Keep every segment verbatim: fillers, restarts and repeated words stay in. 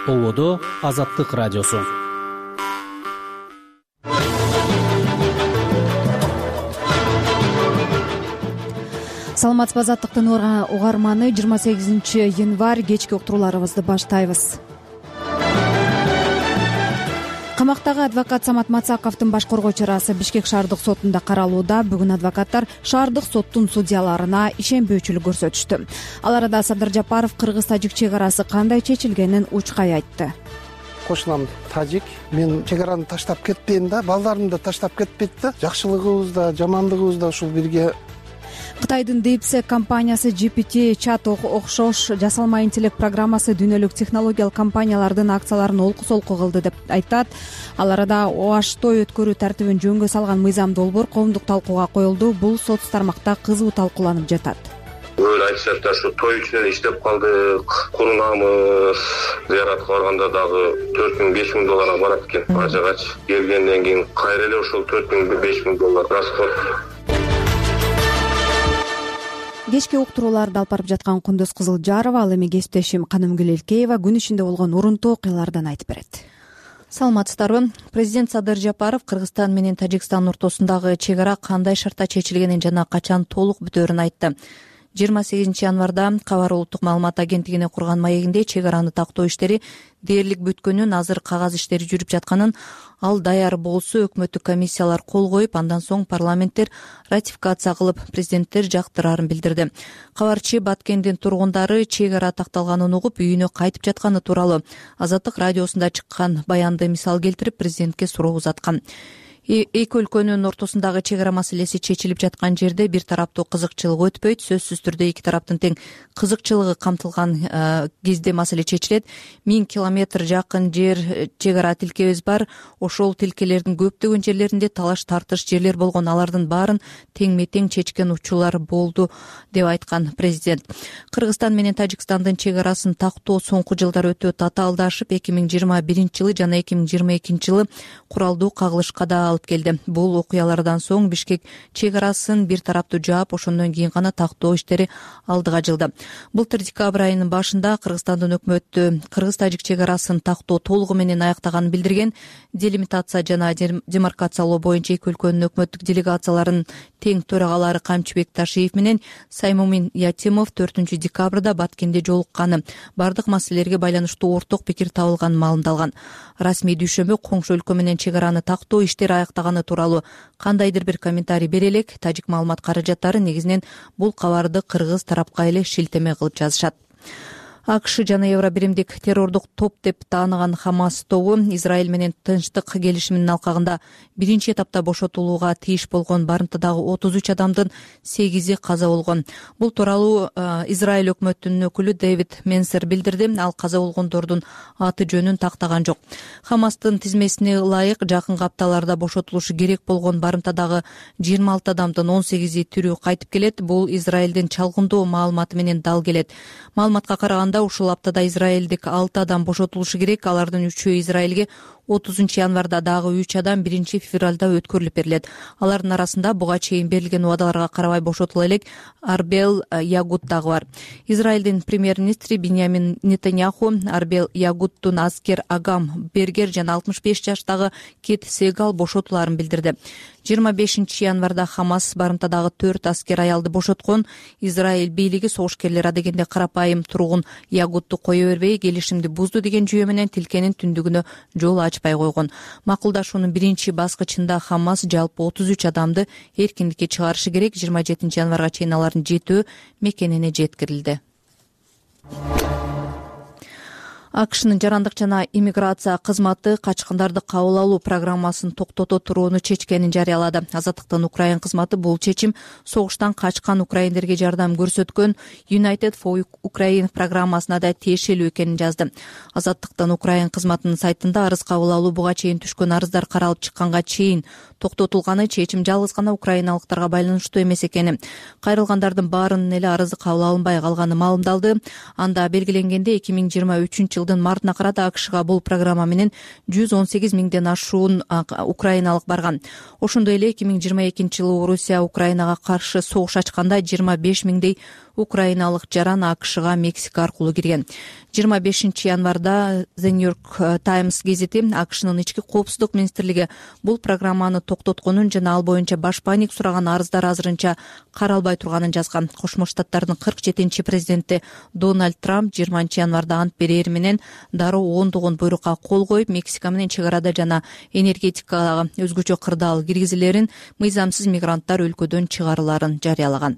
Ободо Азаттык радиосу. Саламатсызбы, Азаттыктын угарманы. жыйырма сегизинчи январь кечки уктурууларыбызды баштайбыз. Камактагы адвокат Самат Мацаковдун баш коргоо чарасы Бишкек шаардык сотунда каралууда. Бүгүн адвокаттар шаардык соттун судьяларына ишенбөөчүлүк көрсөтүштү. Ал арада Садыр Жапаров кыргыз-тажик чек арасы кандай чечилгенин учкай айтты. Кошунам тажик. Мен чек араны таштап кетпейм да, балдарымды таштап кетпейт да. Жакшылыгыбыз да, жамандыгыбыз да ушул бирге. Кытайдын DeepSeek компаниясы джи пи ти чат окшош жасалма интеллект программасы дүйнөлүк технологиялык компаниялардын акцияларын олку-солку кылды деп айтат. Ал арада Оаштой өткөрүү тартибин жөнгө салган мыйзам долбоор коомдук талкууга коюлду. Бул соц тармакта кызуу талкууланып жатат. Өлө айтышат да, ушу той үчүн иштеп калдык, курунамыз, зыяратка барганда дагы төрт миң беш миң долларга барат экен. Ажыгач келгенден кийин кайра эле ошол төрт миң беш миң доллар расход. Кечки уктурууларды алып барып жаткан Кундуз Кызылжарова, ал эми кесиптешим Канымгүл Элкеева күн ичинде болгон урунтуу окуялардан айтып берет. Саламатсыздарбы? Президент Садыр Жапаров Кыргызстан менен Тажикстан ортосундагы чек ара кандай шартта чечилгенин жана качан толук бүтөөрүн айтты. жыйырма сегизинчи январда Кабар улуттук маалымат агенттигине курган маегинде чек араны тактоо иштери дээрлик бүткөнүн, азыр кагаз иштери жүрүп жатканын, ал даяр болсо өкмөттүк комиссиялар кол коюп, андан соң парламенттер ратификация кылып, президенттер жактырарын билдирди. Кабарчы Баткендин тургундары чек ара такталганын угуп, үйүнө кайтып жатканы тууралуу Азаттык радиосунда чыккан баянды мисал келтирип, президентке суроо узаткан. Эки өлкөнүн ортосундагы чек ара маселеси чечилип жаткан жерде бир тараптуу кызыкчылык өтпөйт. Сөзсүз түрдө эки тараптын тең кызыкчылыгы камтылган кезде маселе чечилет. Миң километр жакын жер чек ара тилкебиз бар. Ошол тилкелердин көптөгөн жерлеринде талаш тартыш жерлер болгон, алардын баарын теңме тең чечкен учурлар болду деп айткан президент. Кыргызстан менен Тажикстандын чек арасын тактоо соңку жылдар өтө татаалдашып, эки миң жыйырма биринчи жылы жана эки миң жыйырма экинчи жылы куралдуу кагылышка да келди. Бул окуялардан соң Бишкек чек арасын бир тараптуу жаап, ошондон кийин гана тактоо иштери алдыга жылды. Былтыр декабрь айынын башында Кыргызстандын өкмөтү кыргыз-тажик чек арасын тактоо толугу менен аяктаганын билдирген. Делимитация жана демаркациялоо боюнча эки өлкөнүн өкмөттүк делегацияларынын тең төрагалары Камчыбек Ташиев менен Саймумин Ятимов төртүнчү декабрда Баткенде жолукканы, бардык маселелерге байланыштуу орток пикир табылганын маалымдалган. Расмий дүйшөмбү коңшу өлкө менен чек араны тактоо иштери аяктаганы тууралуу кандайдыр бир комментарий бере элек. Тажик маалымат каражаттары негизинен бул кабарды кыргыз тарапка эле шилтеме кылып жазышат. АКШ жана Евробиримдик террордук топ деп тааныган Хамас тобу Израиль менен тынчтык келишиминин алкагында биринчи этапта бошотулууга тийиш болгон барымтадагы отуз үч адамдын сегизи каза болгон. Бул тууралуу Израиль өкмөтүнүн өкүлү Дэвид Менсер билдирди. Ал каза болгондордун аты жөнүн тактаган жок. Хамастын тизмесине ылайык жакынкы апталарда бошотулушу керек болгон барымтадагы жыйырма алты адамдын он сегизи тирүү кайтып келет. Бул Израилдин чалгындоо маалыматы менен дал келет. Маалыматка караганда ушул аптада израилдик алты адам бошотулушу керек. Алардын үчөө Израилге отузунчу январда, дагы үч адам биринчи февралда өткөрүлүп берилет. Алардын арасында буга чейин берилген убадаларга карабай бошотула элек Арбел Ягуд дагы бар. Израилдин премьер-министри Биньямин Нетаньяху Арбел Ягуддун аскер Агам Бергер жана алтымыш беш жаштагы Кит Сегал бошотуларын билдирди. жыйырма бешинчи январда Хамас барымтадагы төрт аскер аялды бошоткон. Израиль бийлиги согушкерлер адегенде карапайым тургун Ягудду кое бербей, келишимди бузду деген жүйө менен тилкенин түндүгүнө жол ачпай койгон. Макулдашуунун биринчи баскычында Хамас жалпы отуз үч адамды эркиндикке чыгарышы керек. жыйырма жетинчи январга чейин алардын жетөө мекенине жеткирилди. АКШнын жарандык жана иммиграция кызматы качкындарды кабыл алуу программасын токтото турууну чечкенин жарыялады. Азаттыктын Украин кызматы бул чечим согуштан качкан украиндерге жардам көрсөткөн United for Ukraine программасына да тиешелүү экенин жазды. Азаттыктын Украин кызматынын сайтында арыз кабыл алуу буга чейин түшкөн арыздар каралып чыкканга чейин токтотулганы, чечим жалгыз гана украиналыктарга байланыштуу эмес экени, кайрылгандардын баарынын эле арызы кабыл алынбай калганы маалымдалды. Анда белгиленгенде эки миң жыйырма үчүнчү жылдын мартына карата АКШга бул программа менен жүз он сегиз миңден ашуун украиналык барган. Ошондой эле эки миң жыйырма экинчи жылы Орусия Украинага каршы согуш ачканда жыйырма беш миңдей украиналык жаран АКШга Мексика аркылуу кирген. жыйырма бешинчи январда The New York Times гезити АКШнын ички коопсуздук министрлиги бул программаны токтотконун жана ал боюнча башпаник сураган арыздар азырынча каралбай турганын жазган. Кошмо Штаттардын кырк жетинчи президенти Дональд Трамп жыйырманчы январда ант берери менен дароо ондогон буйрукка кол коюп, Мексика менен чек арада жана энергетикага өзгөчө кырдаал киргизилерин, мыйзамсыз мигранттар өлкөдөн чыгарыларын жарыялаган.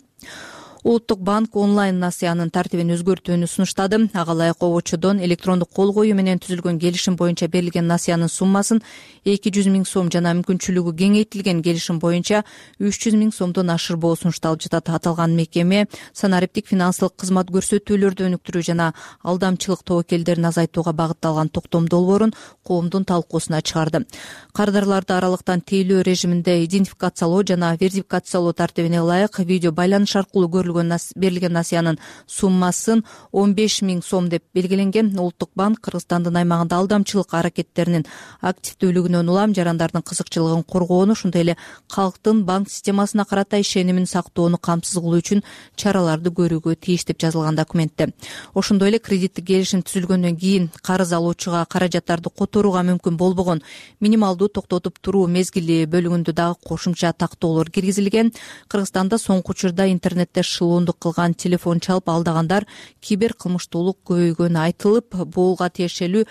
Улуттук банк онлайн насыянын тартибин өзгөртүүнү сунуштады. Ага ылайык обочодон электрондук кол коюу менен түзүлгөн келишим боюнча берилген насыянын суммасын эки жүз миң сом жана мүмкүнчүлүгү кеңейтилген келишим боюнча үч жүз миң сомдон ашырбоо сунушталып жатат. Аталган мекеме санариптик финансылык кызмат көрсөтүүлөрдү өнүктүрүү жана алдамчылык тобокелдерин азайтууга багытталган токтом долбоорун коомдун талкуусуна чыгарды. Кардарларды аралыктан тейлөө режиминде идентификациялоо жана верификациялоо тартибине ылайык видео байланыш аркылуу берилген насыянын суммасын он беш миң сом деп белгиленген. Улуттук банк Кыргызстандын аймагында алдамчылык аракеттеринин активдүүлүгүнөн улам жарандардын кызыкчылыгын коргоону, ошондой эле калктын банк системасына карата ишенимин сактоону камсыз кылуу үчүн чараларды көрүүгө тийиш деп жазылган документте. Ошондой эле кредиттик келишим түзүлгөндөн кийин карыз алуучуга каражаттарды которууга мүмкүн болбогон минималдуу токтотуп туруу мезгили бөлүгүндө дагы кошумча тактоолор киргизилген. Кыргызстанда соңку учурда интернетте шылуундук кылган телефон чалып алдагандар кибер кылмыштуулук көбөйгөнү айтылып, буга тиешелүү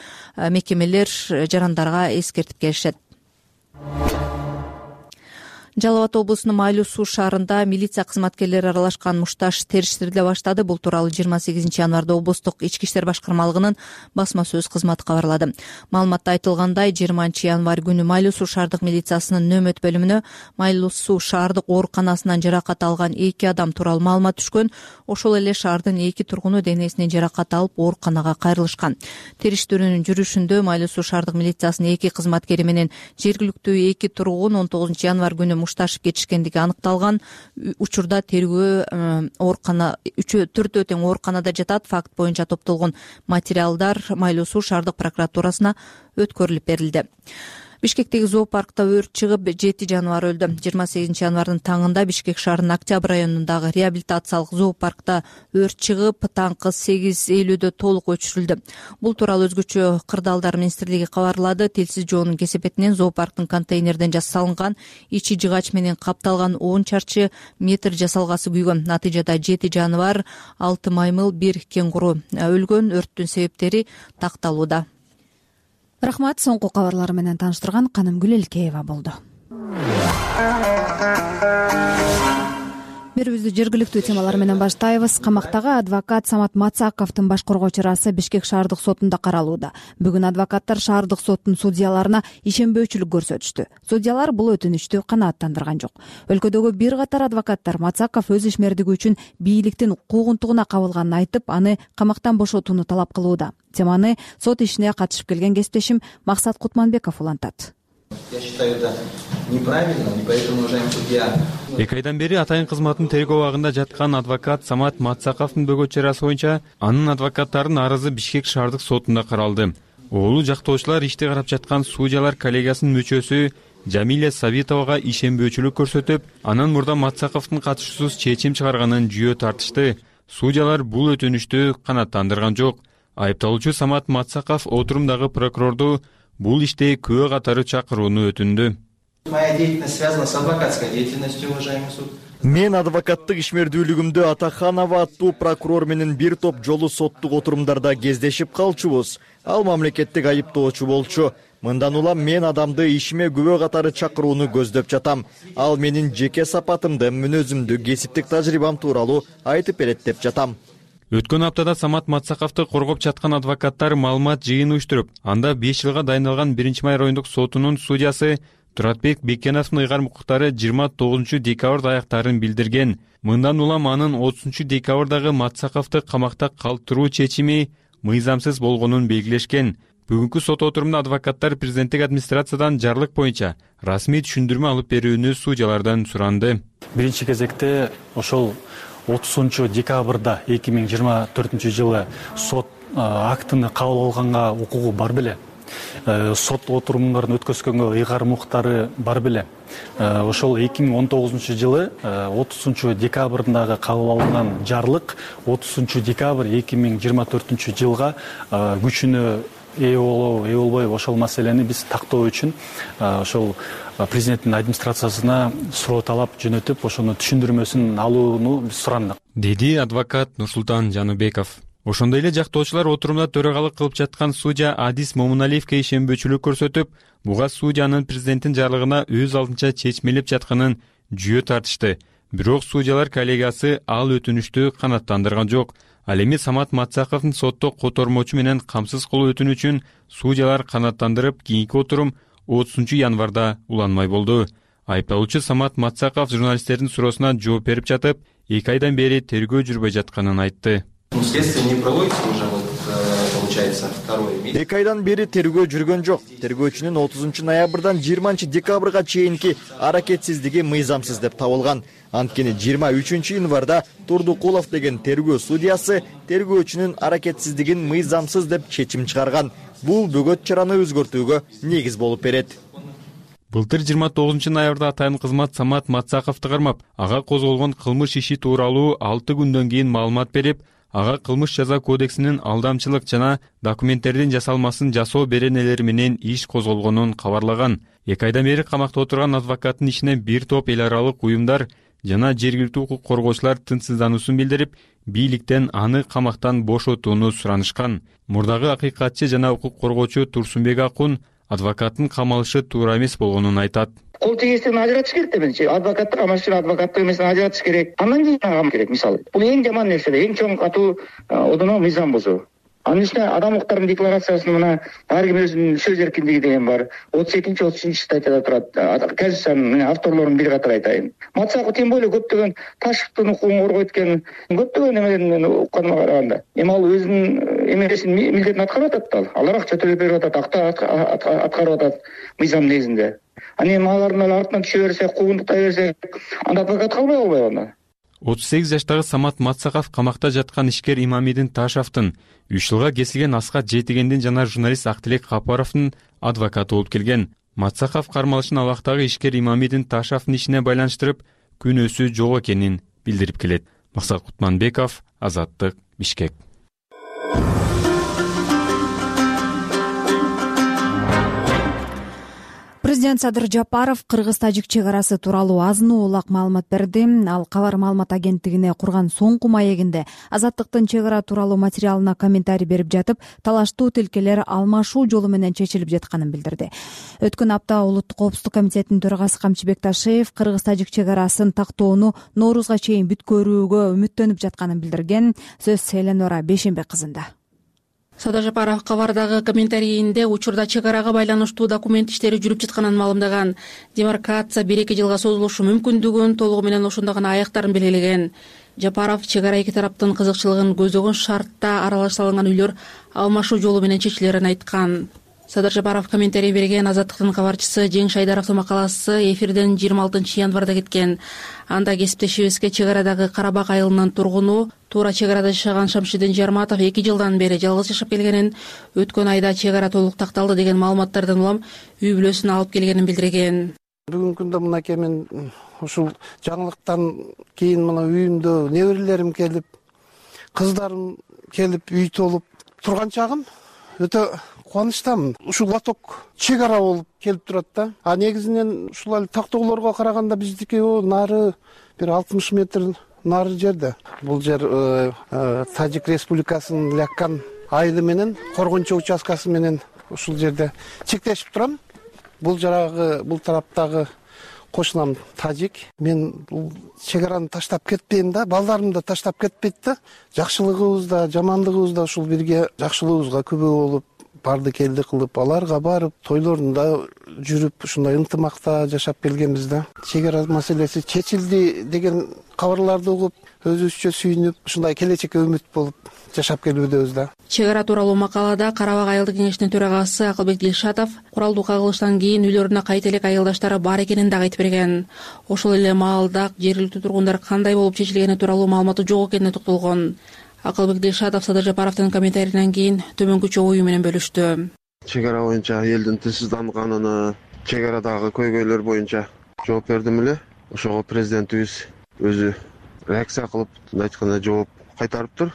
мекемелер жарандарга эскертип келишет. Жалал Абад облусунун Майлуу Суу шаарында милиция кызматкерлери аралашкан мушташ териштириле баштады. Бул тууралуу жыйырма сегизинчи январда облустук ички иштер башкармалыгынын басма сөз кызматы кабарлады. Маалыматта айтылгандай, жыйырманчы январь күнү Майлуу Суу шаардык милициясынын нөөмөт бөлүмүнө Майлуу Суу шаардык ооруканасынан жаракат алган эки адам тууралуу маалымат түшкөн. Ошол эле шаардын эки тургуну денесинен жаракат алып ооруканага кайрылышкан. Териштирүүнүн жүрүшүндө Майлуу Суу шаардык милициясынын эки кызматкери менен жергиликтүү эки тургун он тогузунчу январь күнү мушташып кетишкендиги аныкталган. Учурда тергөө оорукана үчөө төртөө тең ооруканада жатат. Факт боюнча топтолгон материалдар Майлуу Суу шаардык прокуратурасына өткөрүлүп берилди. Бишкектеги зоопаркта өрт чыгып, жети жаныбар өлдү. жыйырма сегизинчи январдын таңында Бишкек шаарынын Октябрь районундагы реабилитациялык зоопаркта өрт чыгып, таңкы сегиз элүүдө толук өчүрүлдү. Бул тууралуу өзгөчө кырдаалдар министрлиги кабарлады. Телсиз жоонун кесепетинен зоопарктын контейнерден жасалынган ичи жыгач менен капталган он чарчы метр жасалгасы күйгөн. Натыйжада жети жаныбар, алты маймыл, бир кеңгуру өлгөн. Өрттүн себептери такталууда. Рахмат, соңку кабарлар менен тааныштырган Канымгүл Элкеева болду. Берүүбүздү жергиликтүү темалар менен баштайбыз. Камактагы адвокат Самат Мацаковдун баш коргоочу ырасы Бишкек шаардык сотунда каралууда. Бүгүн адвокаттар шаардык соттун судьяларына ишенбөөчүлүк көрсөтүштү. Судьялар бул өтүнүчтү канааттандырган жок. Өлкөдөгү бир катар адвокаттар Мацаков өз ишмердиги үчүн бийликтин куугунтугуна кабылганын айтып, аны камактан бошотууну талап кылууда. Теманы сот ишине катышып келген кесиптешим Максат Кутманбеков улантат. Я считаю это неправильно, и поэтому, уважаемый судья... Эки айдан бери атайын кызматтын тергөө абагында жаткан адвокат Самат Мацаковдун бөгөтчү ырасы боюнча анын адвокаттарынын арызы Бишкек шаардык сотунда каралды. Оолу жактоочулар ишти карап жаткан судьялар коллегиясынын мүчөсү Жамиля Сабитовага ишенбөөчүлүк көрсөтүп, анан мурда Мацаковдун катышуусуз чечим чыгарганын жүйө тартышты. Судьялар бул өтүнүштү канааттандырган жок. Айыпталуучу Самат Мацаков отурумдагы прокурорду бул иште күбө катары чакырууну өтүндү. Моя деятельность связана с адвокатской деятельностью, уважаемый суд. Мен адвокаттык ишмердүүлүгүмдү Атаханова аттуу прокурор менен бир топ жолу соттук отурумдарда кездешип калчубуз. Ал мамлекеттик айыптоочу болчу. Мындан улам мен адамды ишиме күбө катары чакырууну көздөп жатам. Ал менин жеке сапатымды, мүнөзүмдү, кесиптик тажрыйбам тууралуу айтып берет деп жатам. Өткөн аптада Самат Мацаковду коргоп жаткан адвокаттар маалымат жыйын уюштуруп, анда беш жылга дайындалган биринчи май райондук сотунун судьясы Туратбек Бекеновдун ыйгарым укуктары жыйырма тогузунчу декабрда аяктарын билдирген. Мындан улам анын отузунчу декабрдагы Мацаковду камакта калтыруу чечими мыйзамсыз болгонун белгилешкен. Бүгүнкү сот отурумунда адвокаттар президенттик администрациядан жарлык боюнча расмий түшүндүрмө алып берүүнү судьялардан суранды. Биринчи кезекте ошол отузунчу декабрда эки миң жыйырма төртүнчү жылы сот актыны кабыл алганга укугу бар беле. сот отурумдарын өткөзгөнгө ыйгарым укуктары бар беле. Ошол эки миң он тогузунчу жылы отузунчу декабрындагы кабыл алынган жарлык отузунчу декабрь эки миң жыйырма төртүнчү жылга күчүнө ээ болобу, ээ болбойбу ошол маселени биз тактоо үчүн ошол президенттин администрациясына суроо талап жөнөтүп, ошону түшүндүрмөсүн алууну биз сурандык, деди адвокат Нурсултан Жаныбеков. Ошондой эле жактоочулар отурумда төрагалык кылып жаткан судья Адис Момуналиевке ишенбөөчүлүк көрсөтүп, буга судьянын президенттин жарлыгына өз алдынча чечмелеп жатканын жүйө тартышты. Бирок судьялар коллегиясы ал өтүнүштү канааттандырган жок. Ал эми Самат Матсаковдун сотто котормочу менен камсыз кылуу өтүнү үчүн судьялар канааттандырып, кийинки отурум отузунчу январда уланмай болду. Айыпталуучу Самат Матсаков журналисттердин суроосуна жооп берип жатып, эки айдан бери тергөө жүрбөй жатканын айтты. Следствие не проводится уже, вот, получается, второй месяц. эки айдан бери тергөө жүргөн жок. Тергөөчүнүн отузунчу ноябрдан жыйырманчы декабрга чейинки аракетсиздиги мыйзамсыз деп табылган. Анткени жыйырма үчүнчү январда Турдукулов деген тергөө судьясы тергөөчүнүн аракетсиздигин мыйзамсыз деп чечим чыгарган. Бул бөгөт чараны өзгөртүүгө негиз болуп берет. Былтыр жыйырма тогузунчу ноябрда атайын кызмат Самат Матсаковду кармап, ага козголгон кылмыш иши тууралуу алты күндөн кийин маалымат берип, ага кылмыш жаза кодексинин алдамчылык жана документтердин жасалмасын жасоо беренелери менен иш козголгонун кабарлаган. Эки айдан бери камакта отурган адвокаттын ишине бир топ эл аралык уюмдар жана жергиликтүү укук коргоочулар тынчсыздануусун билдирип, бийликтен аны камактан бошотууну суранышкан. Мурдагы акыйкатчы жана укук коргоочу Турсунбек Акун адвокаттын камалышы туура эмес болгонун айтат. Кол тегестен ажыратыш керек да менчи. Адвокатты камашчы, адвокаттык эмесин ажыратыш керек. Андан кийин камаш керек, мисалы. Бул эң жаман нерсе, эң чоң катуу одоно мыйзам бузуу. Анын үстүнө адам укуктарынын декларациясында мына ар ким өзүнүн сөз эркиндиги деген бар. отуз экинчи отуз үчүнчү статьяда турат. Конституциянын авторлорун бир катар айтайын. Матсаков тем более көптөгөн Ташевдин укугун коргойт экен. Көптөгөн эмелерин мен укканыма караганда. Эми ал өзүнүн эмесин милдетин аткарып атат да. Алар акча төлөп берип атат, акта аткарып атат мыйзам негизинде. Аны эми алардын артынан түшө берсе, куугунтуктай берсе, анда адвокат калбай болбойбу анда. отуз сегиз жаштагы Самат Матсаков камакта жаткан ишкер Имамидин Ташевдин үч жылга кесилген Аскат Жетигендин жана журналист Актилек Капаровдун адвокаты болуп келген. Матсаков кармалышын абактагы ишкер Имамидин Ташевдин ишине байланыштырып, күнөөсү жок экенин билдирип келет. Максат Кутманбеков, Азаттык, Бишкек. Президент Садыр Жапаров кыргыз-тажик чек арасы тууралуу азын улак маалымат берди. Ал кабар маалымат агенттигине курган соңку маегинде Азаттыктын чек ара тууралуу материалына комментарий берип жатып, талаштуу тилкелер алмашуу жолу менен чечилип жатканын билдирди. Өткөн апта Улуттук коопсуздук комитетинин төрагасы Камчыбек Ташиев кыргыз-тажик чек арасын тактоону Ноорузга чейин бүткөрүүгө үмүттөнүп жатканын билдирген. Сөз Эленора Бейшенбек кызында. Садыр Жапаров кабардагы комментарийинде учурда чек арага байланыштуу документ иштери жүрүп жатканын маалымдаган. Демаркация бир эки жылга созулушу мүмкүндүгүн, толугу менен ошондо гана аяктарын белгилеген. Жапаров чек ара эки тараптын кызыкчылыгын көздөгөн шартта аралаша алынган үйлөр алмашуу жолу менен чечилерин айткан. Садыр Жапаров комментарий берген. Азаттыктын кабарчысы Жең Шайдаровдун макаласы эфирден жыйырма алтынчы январда кеткен. Анда кесиптешибизге чек арадагы Карабак айылынын тургуну, туура чек арада жашаган Шамшидин Жарматов эки жылдан бери жалгыз жашап келгенин, өткөн айда чек ара толук такталды деген маалыматтардан улам үй бүлөсүн алып келгенин билдирген. Бүгүнкү күндө мынакей мен ушул жаңылыктан кийин мына үйүмдө неберелерим келип, кыздарым келип, үй толуп турган чагым өтө кубанычтамын. Ушул лоток чек ара болуп келип турат да. А негизинен ушул эле тактоолорго караганда биздики нары бир алтымыш метр нары жерде. Бул жер Тажик Республикасынын Ляккан айылы менен Коргончо участкасы менен ушул жерде чектешип турам. Бул жарагы, бул тараптагы кошунам тажик. Мен бул чек араны таштап кетпейм да, балдарым да таштап кетпейт да. Жакшылыгыбыз да, жамандыгыбыз да ушул бирге жакшылыгыбызга күбө болуп, барды келди кылып, аларга барып, тойлорунда жүрүп, ушундай ынтымакта жашап келгенбиз да. Чек ара маселеси чечилди деген кабарларды угуп, өзүбүзчө сүйүнүп, ушундай келечекке үмүт болуп жашап келүүбүз да. Чек ара тууралуу макалада Карабак айылдык кеңешинин төрагасы Акылбек Дилшатов куралдуу кагылыштан кийин үйлөрүнө кайта элек айылдаштары бар экенин дагы айтып берген. Ошол эле маалда жергиликтүү тургундар кандай болуп чечилгени тууралуу маалыматы жок экенине токтолгон. Акылбек Дилшатов Садыр Жапаровдун комментарийинен кийин төмөнкүчө ою менен бөлүштү. чек ара боюнча элдин тынчсызданганына, чек арадагы көйгөйлөр боюнча жооп бердим эле. Ошого президентибиз өзү реакция кылып, мындай айтканда жооп кайтарыптыр.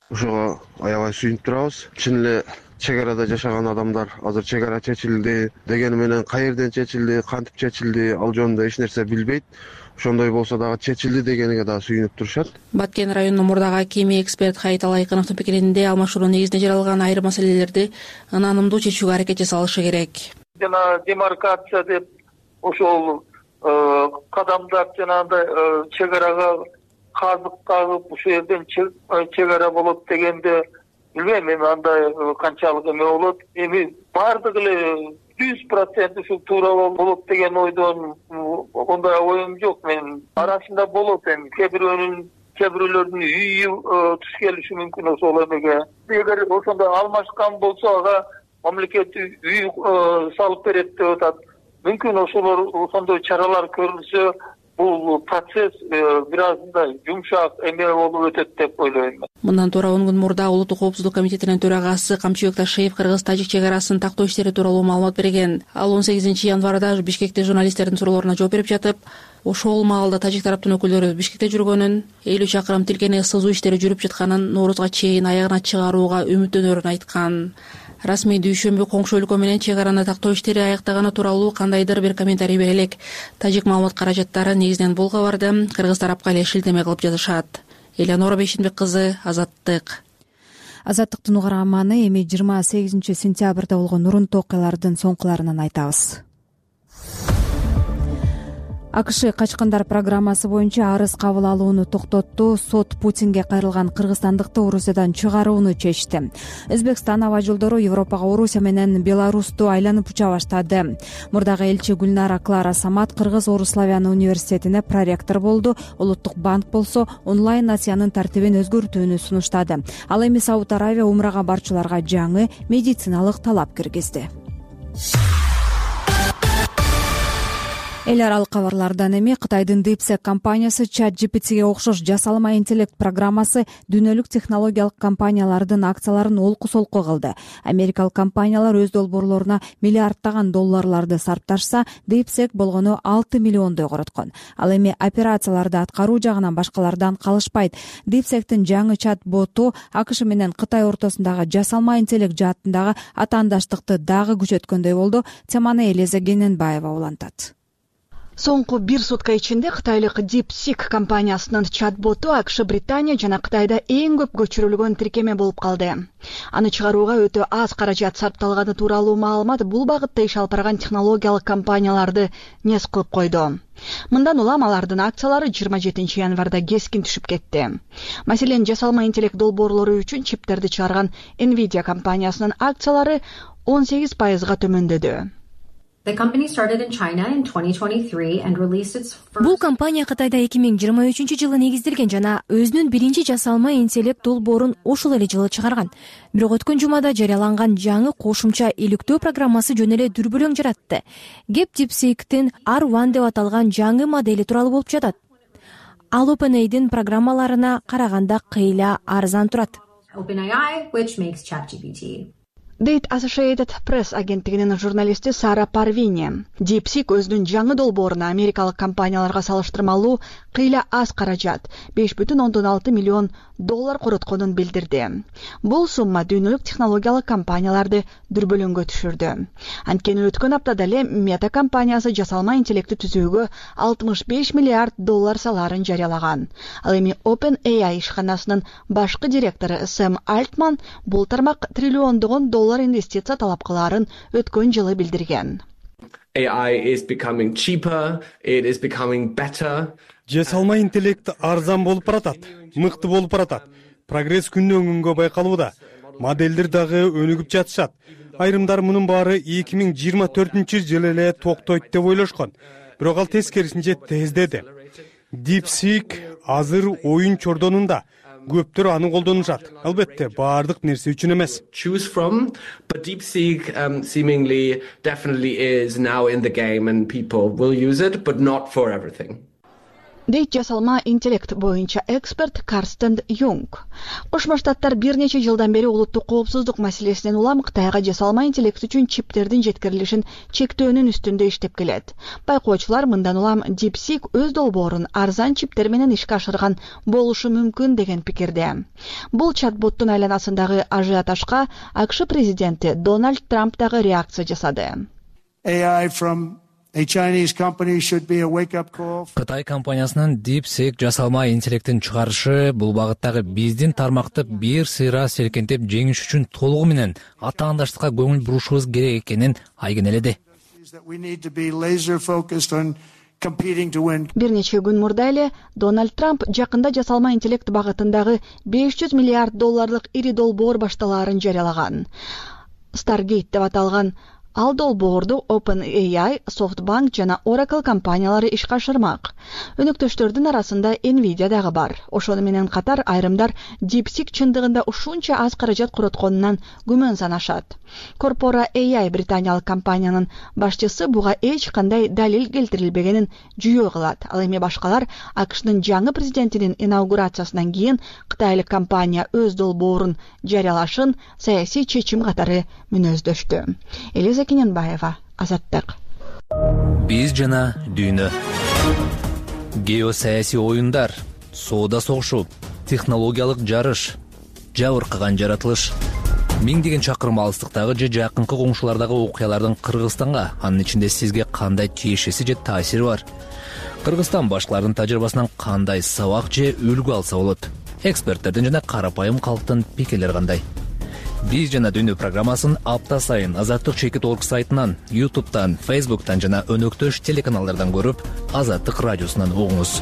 Ошого аябай сүйүнүп турабыз. Чын эле чек арада жашаган адамдар азыр чек ара чечилди дегени менен каерден чечилди, кантип чечилди, ал жөнүндө эч нерсе билбейт. Ошондой болсо дагы чечилди дегениге дагы сүйүнүп турушат. Баткен районунун мурдагы акими эксперт Хайит Алайкыновдун пикиринде алмашуунун негизинде жаралган айрым маселелерди ынанымдуу чечүүгө аракет жасалышы керек. Жана демаркация деп ошол кадамдар жанагындай чек арага казык кагып ушул жерден чек ара болот дегенде билбейм, эми андай канчалык эме болот. Эми баардыгы эле жүз процент ушул туура болот деген ойдон ондай оюм жок менин. Арасында болот эми кээ бирөөнүн кээ бирөөлөрдүн үйү туш келиши мүмкүн ошол эмеге. Эгер ошондой алмашкан болсо ага мамлекет үй салып берет деп атат. Мүмкүн ошолор ошондой чаралар көрүлсө бул процесс бир аз мындай жумшак эме болуп өтөт деп ойлойм. Мындан туура он күн мурда Улуттук коопсуздук комитетинин төрагасы Камчыбек Ташиев кыргыз-тажик чек арасын тактоо иштери тууралуу маалымат берген. Ал он сегизинчи январда Бишкекте журналисттердин суроолоруна жооп берип жатып, ошол маалда тажик тараптын өкүлдөрү Бишкекте жүргөнүн, элүү чакырым тилкени сызуу иштери жүрүп жатканын, Ноорузга чейин аягына чыгарууга үмүттөнөрүн айткан. Расмий дүйшөмбү коңшу өлкө менен чек араны тактоо иштери аяктаганы тууралуу кандайдыр бир комментарий бере элек. Тажик маалымат каражаттары негизинен бул кабарды кыргыз тарапка эле шилтеме кылып жазышат. Элеонора Бейшенбек кызы, Азаттык. Азаттыктын угарманы эми жыйырма сегизинчи сентябрда болгон урунтуу окуялардын соңкуларынан айтабыз. АКШ качкындар программасы боюнча арыз кабыл алууну токтотту. Сот Путинге кайрылган кыргызстандыкты Орусиядан чыгарууну чечти. Өзбекстан аба жолдору Европага Орусия менен Беларусту айланып уча баштады. Мурдагы элчи Гүлнара Клара Самат Кыргыз Орус Славян университетине проректор болду. Улуттук банк болсо онлайн насыянын тартибин өзгөртүүнү сунуштады. Ал эми Сауд Аравия умрага барчыларга жаңы медициналык талап киргизди. Эл аралык кабарлардан эми Кытайдын DeepSeek компаниясы ChatGPTге окшош жасалма интеллект программасы дүйнөлүк технологиялык компаниялардын акцияларын олку-солку кылды. Америкалык компаниялар өз долбоорлоруна миллиардтаган долларларды сарпташса, DeepSeek болгону алты миллиондой короткон. Ал эми операцияларды аткаруу жагынан башкалардан калышпайт. DeepSeek'тин жаңы чат-боту АКШ менен Кытай ортосундагы жасалма интеллект жаатындагы атаандаштыкты дагы күчөткөндөй болду. Теманы Элиза Гененбаева улантат. Соңку бир сутка ичинде кытайлык DeepSeek компаниясынын чат-боту АКШ, Британия жана Кытайда эң көп көчүрүлгөн тиркеме болуп калды. Аны чыгарууга өтө аз каражат сарпталганы тууралуу маалымат бул багытта иш алып барган технологиялык компанияларды нес кылып койду. Мындан улам алардын акциялары жыйырма жетинчи январда кескин түшүп кетти. Маселен, жасалма интеллект долбоорлору үчүн чиптерди чыгарган Nvidia компаниясынын акциялары он сегиз пайызга төмөндөдү. Бул компания Кытайда эки миң жыйырма үчүнчү жылы негизделген жана өзүнүн биринчи жасалма интеллект долбоорун ошол эле жылы чыгарган. Бирок өткөн жумада жарыяланган жаңы кошумча иликтөө программасы жөн эле дүрбөлөң жаратты. Кеп DeepSeek'тин ар один деп аталган жаңы модели тууралуу болуп жатат. Ал OpenAI'дин программаларына караганда кыйла арзан турат. Дейт Associated Press агенттигинин журналисти Сара Парвини. DeepSeek өзүнүн жаңы долбооруна америкалык компанияларга салыштырмалуу кыйла аз каражат, беш бүтүн ондон алты миллион доллар коротконун билдирди. Бул сумма дүйнөлүк технологиялык компанияларды дүрбөлөңгө түшүрдү. Анткени өткөн аптада эле Meta компаниясы жасалма интеллектти түзүүгө алтымыш беш миллиард доллар салаарын жарыялаган. Ал эми OpenAI ишканасынын башкы директору Сэм Альтман бул тармак триллиондогон доллар инвестиция талап кылаарын өткөн жылы билдирген. A I is becoming cheaper, it is becoming better. Жасалма интеллект арзан болуп баратат, мыкты болуп баратат. Прогресс күндөн күнгө байкалууда. Моделдер дагы өнүгүп жатышат. Айрымдар мунун баары эки миң жыйырма төртүнчү жылы эле токтойт деп ойлошкон. Бирок ал тескерисинче тездеди. DeepSeek азыр оюн чордонунда. Көптөр аны колдонушат. Албетте, баардык нерсе үчүн эмес. Choose from, but DeepSeek um, seemingly definitely is now in the game and people will use it, but not for everything. дейт жасалма интеллект боюнча эксперт Карстен Юнг. Кошмо Штаттар бир нече жылдан бери улуттук коопсуздук маселесинен улам Кытайга жасалма интеллект үчүн чиптердин жеткирилишин чектөөнүн үстүндө иштеп келет. Байкоочулар мындан улам DeepSeek өз долбоорун арзан чиптер менен ишке ашырган болушу мүмкүн деген пикирде. Бул чатботтун айланасындагы ажиотажга АКШ президенти Дональд Трамп дагы реакция жасады. Кытай компаниясынын DeepSeek жасалма интеллектин чыгарышы бул багыттагы биздин тармакты бир сыйра селкентип жеңиш үчүн толугу менен атаандаштыкка көңүл бурушубуз керек экенин айгинеледи. Бир нече күн мурда эле Дональд Трамп жакында жасалма интеллект багытындагы беш жүз миллиард долларлык ири долбоор башталаарын жарыялаган. Stargate деп аталган ал долбоорду OpenAI, SoftBank жана Oracle компаниялары ишке ашырмак. Өнөктөштөрдүн арасында Nvidia дагы бар. Ошону менен катар айрымдар DeepSeek чындыгында ушунча аз каражат коротконунан күмөн санашат. Corpora A I британиялык компаниянын башчысы буга эч кандай далил келтирилбегенин жүйө кылат. Ал эми башкалар АКШнын жаңы президентинин инаугурациясынан кийин кытайлык компания өз долбоорун жарыялашын саясий чечим катары мүнөздөштү. Элиза Кененбаева, Азаттык. Биз жана дүйнө. Геосаясий оюндар, соода согушу, технологиялык жарыш, жабыркаган жаратылыш. Миңдеген чакырым алыстыктагы же жакынкы коңшулардагы окуялардын Кыргызстанга, анын ичинде сизге кандай тиешеси же таасири бар? Кыргызстан башкалардын тажрыйбасынан кандай сабак же үлгү алса болот? Эксперттердин жана карапайым калктын пикирлери кандай? Биз жана дүйнө программасын апта сайын Азаттык чекит точка орг сайтынан, YouTube'тан, Facebook'тан жана өнөктөш телеканалдардан көрүп, Азаттык радиосунан угуңуз.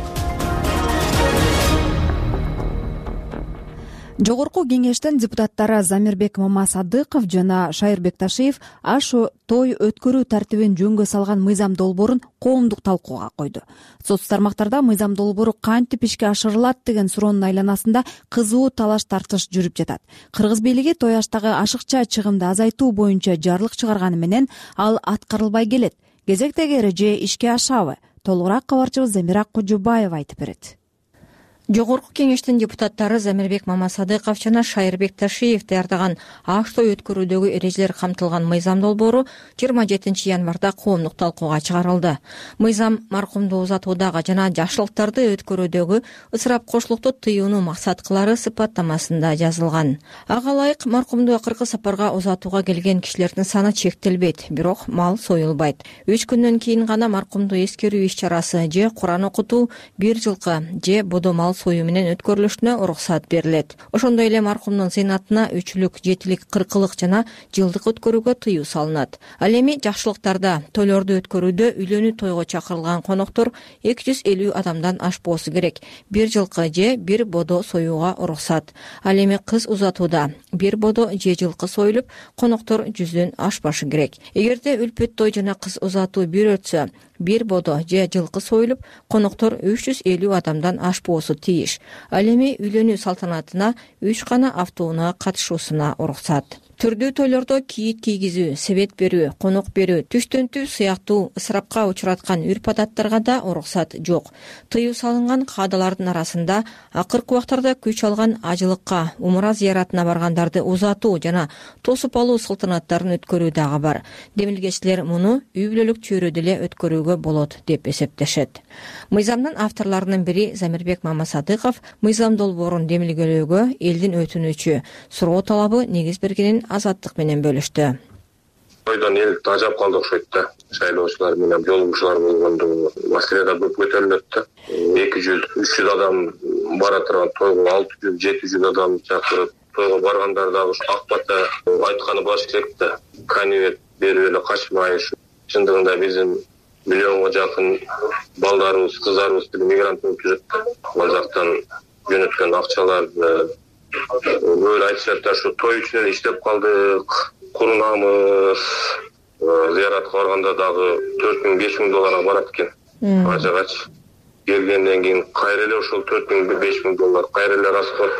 Жогорку кеңештин депутаттары Замирбек Мамасадыков жана Шайырбек Ташиев ашу той өткөрүү тартибин жөнгө салган мыйзам долбоорун коомдук талкууга койду. Соц тармактарда мыйзам долбоору кантип ишке ашырылат деген суроонун айланасында кызуу талаш тартыш жүрүп жатат. Кыргыз бийлиги той аштагы ашыкча чыгымды азайтуу боюнча жарлык чыгарганы менен ал аткарылбай келет. Кезектеги эреже ишке ашабы? Толугураак кабарчыбыз Замира Кожубаева айтып берет. Жогорку кеңештин депутаттары Замирбек Мамасадыков жана Шайырбек Ташиев даярдаган аш той өткөрүүдөгү эрежелер камтылган мыйзам долбоору жыйырма жетинчи январда коомдук талкууга чыгарылды. Мыйзам маркумду узатуудагы жана жакшылыктарды өткөрүүдөгү ысырап кошулукту тыюуну максат кылары сыпаттамасында жазылган. Ага ылайык маркумду акыркы сапарга узатууга келген кишилердин саны чектелбейт, бирок мал союлбайт. Үч күндөн кийин гана маркумду эскерүү иш-чарасы же Куран окутуу, бир жылкы же бодо мал союу менен өткөрүлүшүнө уруксат берилет. Ошондой эле маркумдун зыйнатына үчүлүк, жетилик, кыркылык жана жылдык өткөрүүгө тыюу салынат. Ал эми жакшылыктарда тойлорду өткөрүүдө үйлөнүү тойго чакырылган коноктор эки жүз элүү адамдан ашпоосу керек. Бир жылкы же бир бодо союуга уруксат. Ал эми кыз узатууда бир бодо же жылкы союлуп, коноктор жүздөн ашпашы керек. Эгерде үлпөт той жана кыз узатуу бир өтсө, бир бодо же жылкы союлуп, коноктор үч жүз элүү адамдан ашпоосу тийиш. Ал эми үйлөнүү салтанатына үч гана автоунаа катышуусуна уруксат. Түрдүү тойлордо кийит кийгизүү, себет берүү, конок берүү, түштөнтүү сыяктуу ысырапка учураткан үрп-адаттарга да уруксат жок. Тыюу салынган каадалардын арасында акыркы убактарда күч алган ажылыкка, умра зыяратына баргандарды узатуу жана тосуп алуу салтанаттарын өткөрүү дагы бар. Демилгечилер муну үй бүлөлүк чөйрөдө эле өткөрүүгө болот деп эсептешет. Мыйзамдын авторлорунун бири Замирбек Мамасадыков мыйзам долбоорун демилгелөөгө элдин өтүнүчү, суроо талабы негиз бергенин Азаттык менен бөлүштү. Тойдон эл тажап калды окшойт да. Шайлоочулар менен жолугушуулар болгондо маселе да көп көтөрүлөт да. эки жүз үч жүз адам бара турган тойго алты жүз жети жүз адам чакырып, тойго баргандар дагы ак бата айтканы баш керек да. Конверт берип эле качмай, чындыгында биздин миллионго жакын балдарыбыз, кыздарыбыз мигрант болуп жүрөт да. Ал жактан жөнөткөн акчаларды böyle айтышат да, şu той үчүн эле иштеп калдык, курунамыз, зыяратка барганда дагы төрт миң беш миң долларга барат экен. Ажыгач келгенден кийин кайра эле ошол төрт миң беш миң доллар кайра эле расход,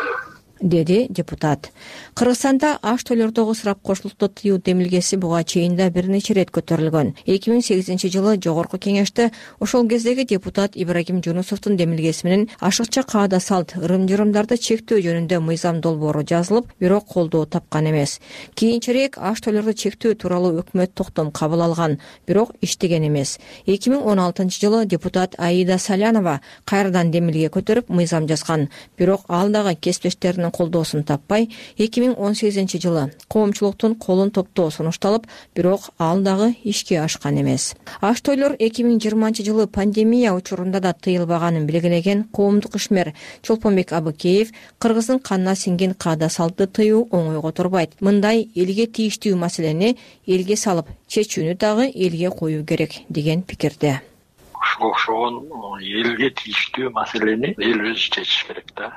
деди депутат. Кыргызстанда аш тойлордогу ысырап кошулукту тыюу демилгеси буга чейин да бир нече ирет көтөрүлгөн. эки миң сегизинчи жылы жогорку кеңеште ошол кездеги депутат Ибрагим Жунусовдун демилгеси менен ашыкча каада салт, ырым-жырымдарды чектөө жөнүндө мыйзам долбоору жазылып, бирок колдоо тапкан эмес. Кийинчерээк аш тойлорду чектөө тууралуу өкмөт токтом кабыл алган, бирок иштеген эмес. эки миң он алтынчы жылы депутат Аида Салянова кайрадан демилге көтөрүп мыйзам жазган, бирок ал дагы кесиптештеринин колдоосун таппай, эки миң он сегизинчи жылы коомчулуктун колун топтоо сунушталып, бирок ал дагы ишке ашкан эмес. Аш тойлор эки миң жыйырманчы жылы пандемия учурунда да тыйылбаганын белгилеген коомдук ишмер Чолпонбек Абыкеев кыргыздын канына сиңген каада салтты тыюу оңойго турбайт. Мындай элге тийиштүү маселени элге салып, чечүүнү дагы элге коюу керек деген пикирде. Ушуга окшогон элге тийиштүү маселени эл өзү чечиш керек да.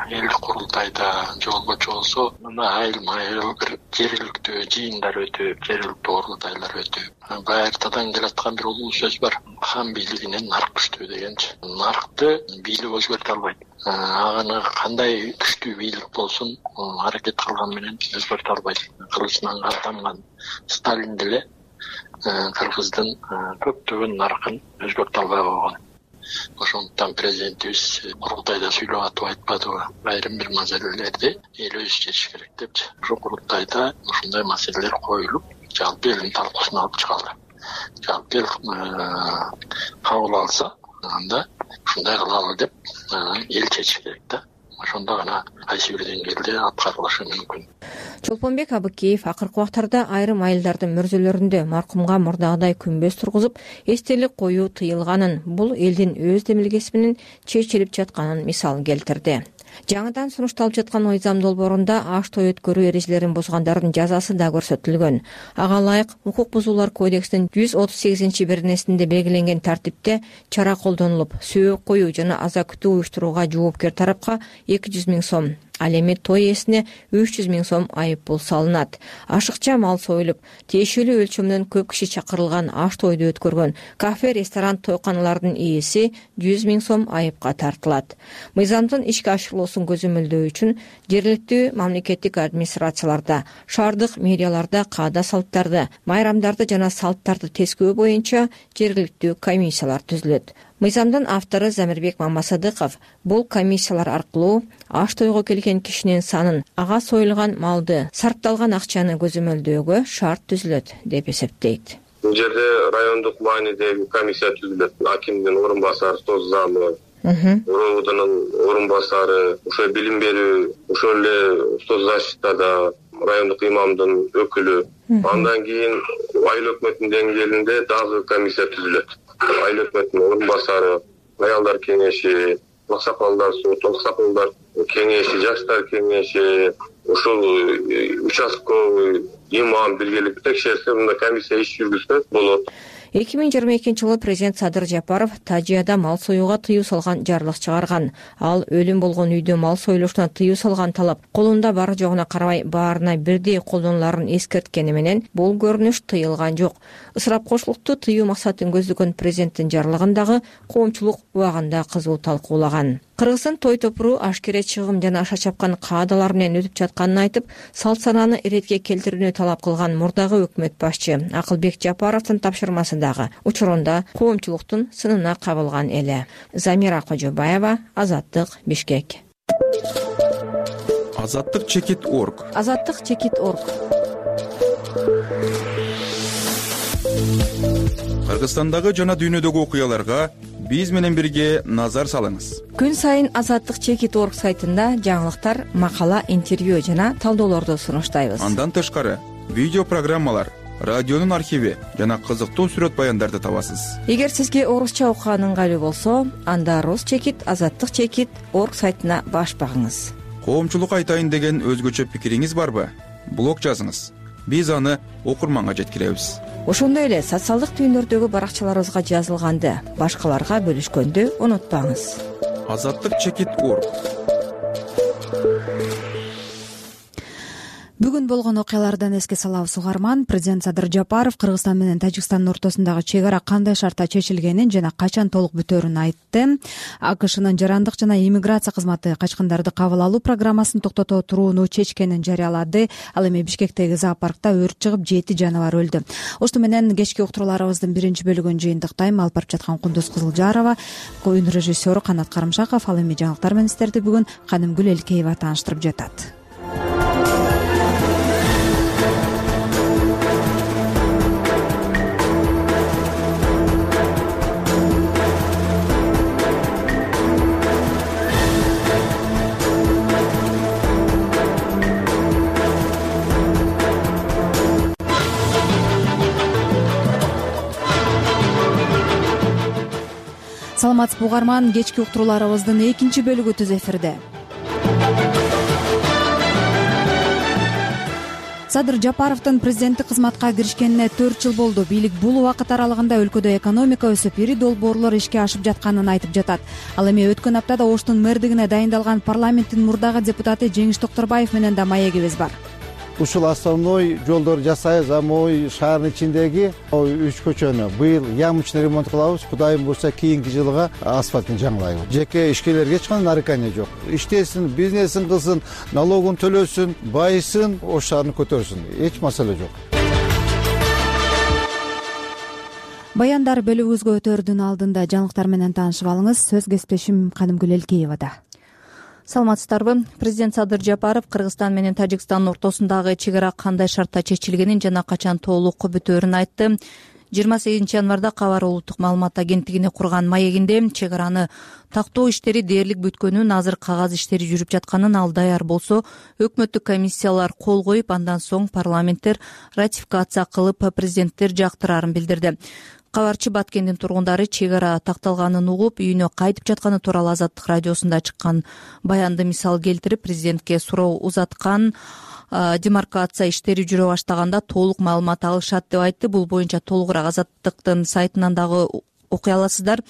Элдик курултайда же болбочу болсо мына айыл майыл бир жергиликтүү жыйындар өтүп, жергиликтүү курултайлар өтүп, байыртадан келаткан бир улуу сөз бар. Хан бийлигинен нарк күчтүү дегенчи. Наркты бийлик өзгөртө албайт. Аны кандай күчтүү бийлик болсун, аракет кылган менен өзгөртө албайт. Кылычынан каттанган Сталин деле кыргыздын көптөгөн наркын өзгөртө албай койгон. Ошондуктан президентибиз курултайда сүйлөп атып айтпадыбы, айрым бир маселелерди эл өзү чечиш керек депчи. Ошол курултайда ушундай маселелер коюлуп, жалпы элдин талкуусуна алып чыгылды. Жалпы эл кабыл алса, анда ушундай кылалы деп эл чечиш керек да. Ошондо гана кайсы бир деңгээлде аткарылышы мүмкүн. Чолпонбек Абыкеев акыркы убактарда айрым айылдардын мөрзөлөрүндө маркумга мурдагыдай күмбөз тургузуп, эстелик коюу тыйылганын, бул элдин өз демилгеси менен чечилип жатканын мисал келтирди. Жаңыдан сунушталып жаткан мыйзам долбоорунда аш той өткөрүү эрежелерин бузгандардын жазасы да көрсөтүлгөн. Ага ылайык укук бузуулар кодексинин жүз отуз сегизинчи беренесинде белгиленген тартипте чара колдонулуп, сөөк коюу жана аза күтүү уюштурууга жоопкер тарапка эки жүз миң сом, ал эми той ээсине үч жүз миң сом айып пул салынат. Ашыкча мал союлуп, тиешелүү өлчөмдөн көп киши чакырылган аш тойду өткөргөн кафе, ресторан, тойканалардын ээси жүз миң сом айыпка тартылат. Мыйзамдын ишке ашырылуусун көзөмөлдөө үчүн жергиликтүү мамлекеттик администрацияларда, шаардык мэрияларда каада салттарды, майрамдарды жана салттарды тескөө боюнча жергиликтүү комиссиялар түзүлөт. Мыйзамдын автору Замирбек Мамасадыков бул комиссиялар аркылуу аш тойго келген кишинин санын, ага союлган малды, сарпталган акчаны көзөмөлдөөгө шарт түзүлөт деп эсептейт. Бул жерде райондук маанидеги комиссия түзүлөт. Акимдин орун басары, соц замы, РОУдун орун басары, ошо билим берүү, ошол эле соц защитада райондук имамдын өкүлү. Андан кийин айыл өкмөтүнүн деңгээлинде дагы комиссия түзүлөт. Айыл өкмөтүнүн орун басары, аялдар кеңеши, аксакалдар сот, аксакалдар кеңеши, жаштар кеңеши, ошол участковый имам биргеликте текшерсе, мында комиссия иш жүргүзсө болот. эки миң жыйырма экинчи жылы президент Садыр Жапаров Тажияда мал союуга тыюу салган жарлык чыгарган. Ал өлүм болгон үйдө мал союлушуна тыюу салган талап колунда бары жогуна карабай баарына бирдей колдонуларын эскерткени менен бул көрүнүш тыйылган жок. Ысырап кошулукту тыюу максатын көздөгөн президенттин жарлыгын дагы коомчулук убагында кызуу талкуулаган. Кыргыздын той топуру ашкере чыгым жана аша чапкан каадалар менен өтүп жатканын айтып, салт санааны иретке келтирүүнү талап кылган мурдагы өкмөт башчы Акылбек Жапаровдун тапшырмасы дагы учурунда коомчулуктун сынына кабылган эле. Замира Кожобаева, Азаттык, Бишкек. Азаттык чекит точка орг. Азаттык чекит точка орг. Кыргызстандагы жана дүйнөдөгү окуяларга биз менен бирге назар салыңыз. Күн сайын Азаттык чекит точка орг сайтында жаңылыктар, макала, интервью жана талдоолорду сунуштайбыз. Андан тышкары видео программалар, радионун архиви жана кызыктуу сүрөт баяндарды табасыз. Эгер сизге орусча окуган ыңгайлуу болсо, анда Рус чекит, Азаттык чекит точка орг сайтына баш багыңыз. Коомчулук айтайын деген өзгөчө пикириңиз барбы? Блог жазыңыз. Биз аны окурманга жеткиребиз. Ошондой эле социалдык түйүндөрдөгү баракчаларыбызга жазылганды башкаларга бөлүшкөндү унутпаңыз. Азаттык чекит точка орг. Бүгүн болгон окуялардан эске салабыз угарман. Президент Садыр Жапаров Кыргызстан менен Тажикстандын ортосундагы чек ара кандай шартта чечилгенин жана качан толук бүтөөрүн айтты. АКШнын жарандык жана иммиграция кызматы качкындарды кабыл алуу программасын токтото турууну чечкенин жарыялады. Ал эми Бишкектеги зоопаркта өрт чыгып жети жаныбар өлдү. Ошто менен кечки уктурууларыбыздын биринчи бөлүгүн жыйынтыктайм. Алып барып жаткан Кундуз Кызылжарова, күн режиссеру Канат Карымшаков. Ал эми жаңылыктар менен сиздерди бүгүн Канымгүл Элкеева тааныштырып жатат. Саламатсызбы угарман, кечки уктурууларыбыздын экинчи бөлүгү түз эфирде. Садыр Жапаровдун президенттик кызматка киришкенине төрт жыл болду. Бийлик бул убакыт аралыгында өлкөдө экономика өсүп, ири долбоорлор ишке ашып жатканын айтып жатат. Ал эми өткөн аптада Оштун мэрдигине дайындалган парламенттин мурдагы депутаты Жеңиш Токторбаев менен да маегибиз бар. Ушул основной жолдор жасайбыз, а могу шаардын ичиндеги үч көчөнү быйыл ямочный ремонт кылабыз. Кудайым буюрса кийинки жылга асфальтын жаңылайбыз. Жеке ишкерлерге эч кандай нарекание жок. Иштесин, бизнесин кылсын, налогун төлөсүн, байысын, Ош шаарын көтөрсүн. Эч маселе жок. Баяндар бөлүгүбүзгө өтөрдүн алдында жаңылыктар менен таанышып алыңыз. Сөз кесиптешим Канымгүл Элкеевада. Саламатсыздарбы? Президент Садыр Жапаров Кыргызстан менен Тажикстандын ортосундагы чек ара кандай шартта чечилгенин жана качан толук бүтөөрүн айтты. жыйырма сегизинчи январда Кабар улуттук маалымат агенттигине курган маегинде чек араны тактоо иштери дээрлик бүткөнүн, азыр кагаз иштери жүрүп жатканын, ал даяр болсо өкмөттүк комиссиялар кол коюп, андан соң парламенттер ратификация кылып, президенттер жактырарын билдирди. Кабарчы Баткендин тургундары чек ара такталганын угуп, үйүнө кайтып жатканы тууралуу Азаттык радиосунда чыккан баянды мисал келтирип, президентке суроо узаткан, демаркация иштери жүрө баштаганда толук маалымат алышат деп айтты. Бул боюнча толугураак Азаттыктын сайтынан дагы окуй аласыздар.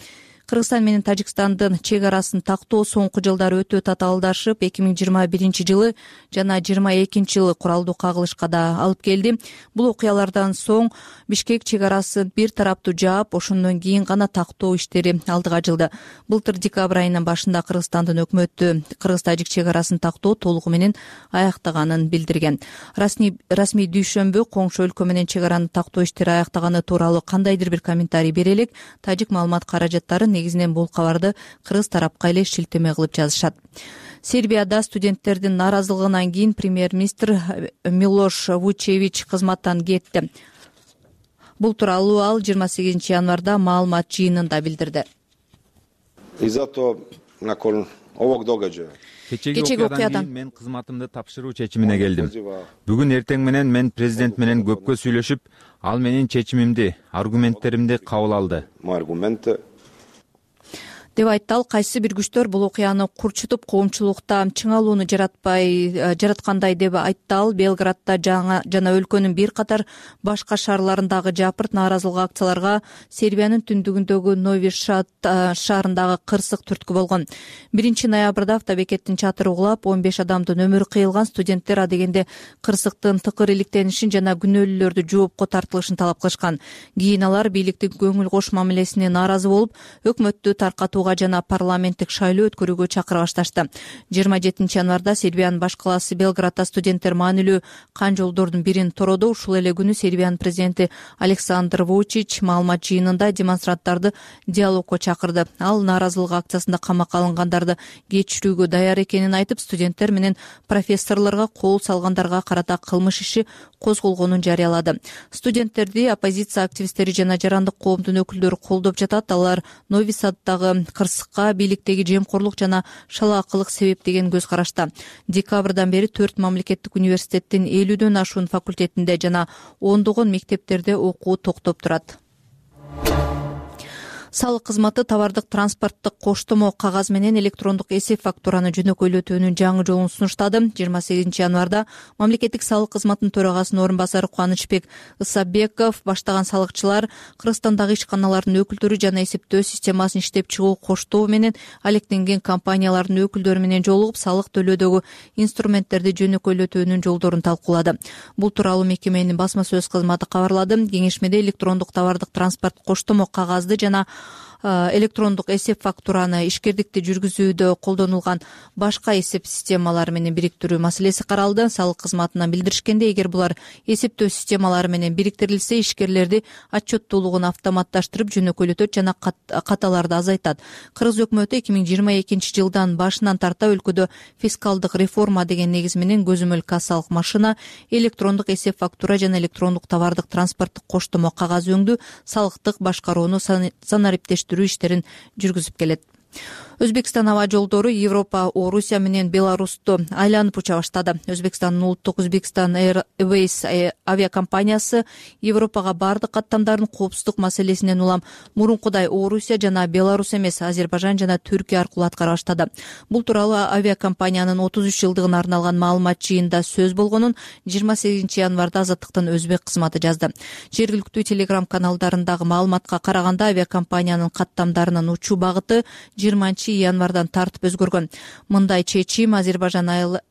Кыргызстан менен Тажикстандын чек арасын тактоо соңку жылдары өтө татаалдашып, эки миң жыйырма биринчи жылы жана жыйырма экинчи жылы куралдуу кагылышка да алып келди. Бул окуялардан соң Бишкек чек арасын бир тараптуу жаап, ошондон кийин гана тактоо иштери алдыга жылды. Былтыр декабрь айынын башында Кыргызстандын өкмөтү Кыргыз-Тажик чек арасын тактоо толугу менен аяктаганын билдирген. Расмий расмий дүйшөмбү коңшу өлкө менен чек араны тактоо иштери аяктаганы тууралуу кандайдыр бир комментарий бере элек. Тажик маалымат каражаттары негизинен бул кабарды кыргыз тарапка эле шилтеме кылып жазышат. Сербияда студенттердин нааразылыгынан кийин премьер-министр Милош Вучевич кызматтан кетти. Бул тууралуу ал жыйырма сегизинчи январда маалымат жыйынында билдирди. Кечеги окуядан кийин мен кызматымды тапшыруу чечимине келдим. Бүгүн эртең менен мен президент менен көпкө сүйлөшүп, ал менин чечимимди, аргументтеримди кабыл алды деп айтты. Ал кайсы бир күчтөр бул окуяны курчутуп, коомчулукта чыңалууну жаратпай жараткандай деп айтты. Ал Белградда жана өлкөнүн бир катар башка шаарларындагы жапырт нааразылык акцияларга Сербиянын түндүгүндөгү Нови Сад шаарындагы кырсык түрткү болгон. биринчи ноябрда автобекеттин чатыры угулап, он беш адамдын өмүрү кыйылган. Студенттер адегенде кырсыктын тыкыр иликтенишин жана күнөөлүүлөрдү жоопко тартылышын талап кылышкан. Кийин алар бийликтин көңүл кош мамилесине нааразы болуп, өкмөттү таркатуу жана парламенттик шайлоо өткөрүүгө чакыра башташты. жыйырма жетинчи январда Сербиянын баш калаасы Белградда студенттер маанилүү кан жолдордун бирин тородо. Ушул эле күнү Сербиянын президенти Александр Вучич маалымат жыйынында демонстранттарды диалогко чакырды. Ал нааразылык акциясында камакка алынгандарды кечирүүгө даяр экенин айтып, студенттер менен профессорлорго кол салгандарга карата кылмыш иши козголгонун жарыялады. Студенттерди оппозиция активисттери жана жарандык коомдун өкүлдөрү колдоп жатат. Алар Нови Саддагы кырсыкка бийликтеги жемкорлук жана шалаакылык себеп деген көз карашта. Декабрдан бери төрт мамлекеттик университеттин элүүдөн ашуун факультетинде жана ондогон мектептерде окуу токтоп турат. салык кызматы товардык транспорттук коштомо кагаз менен электрондук эсеп фактураны жөнөкөйлөтүүнүн жаңы жолун сунуштады. жыйырма сегизинчи январда мамлекеттик салык кызматынын төрагасынын орун басары Кубанычбек Ысабеков баштаган салыкчылар Кыргызстандагы ишканалардын өкүлдөрү жана эсептөө системасын иштеп чыгуу коштоо менен алектенген компаниялардын өкүлдөрү менен жолугуп салык төлөөдөгү инструменттерди жөнөкөйлөтүүнүн жолдорун талкуулады. Бул тууралуу мекеменин басма сөз кызматы кабарлады. Кеңешмеде электрондук товардык транспорт коштомо кагазды жана электрондук эсеп фактураны ишкердикти жүргүзүүдө колдонулган башка эсеп системалары менен бириктирүү маселеси каралды. Салык кызматынан билдиришкенде, эгер булар эсептөө системалары менен бириктирилсе, ишкерлерди отчеттуулугун автоматташтырып жөнөкөйлөтөт жана каталарды азайтат. Кыргыз өкмөтү эки миң жыйырма экинчи жылдан башынан тарта өлкөдө фискалдык реформа деген негиз менен көзөмөл кассалык машина, электрондук эсеп фактура жана электрондук товардык транспорттук коштомо кагаз өңдүү, салыктык башкарууну санариптештирүү иштерин жүргүзүп келет. Өзбекстан аба жолдору Европа, Орусия менен Беларусту айланып уча баштады. Өзбекстандын улуттук Узбекистан Airways авиакомпаниясы Европага бардык каттамдардын коопсуздук маселесинен улам мурункудай Орусия жана Беларус эмес, Азербайжан жана Түркия аркылуу аткара баштады. Бул тууралуу авиакомпаниянын отуз үч жылдыгына арналган маалымат жыйынында сөз болгонун жыйырма сегизинчи январда Азаттыктын өзбек кызматы жазды. Жергиликтүү телеграм каналдарындагы маалыматка караганда, авиакомпаниянын каттамдарынын учуу багыты жыйырманчы январдан тартып өзгөргөн. Мындай чечим Азербайжан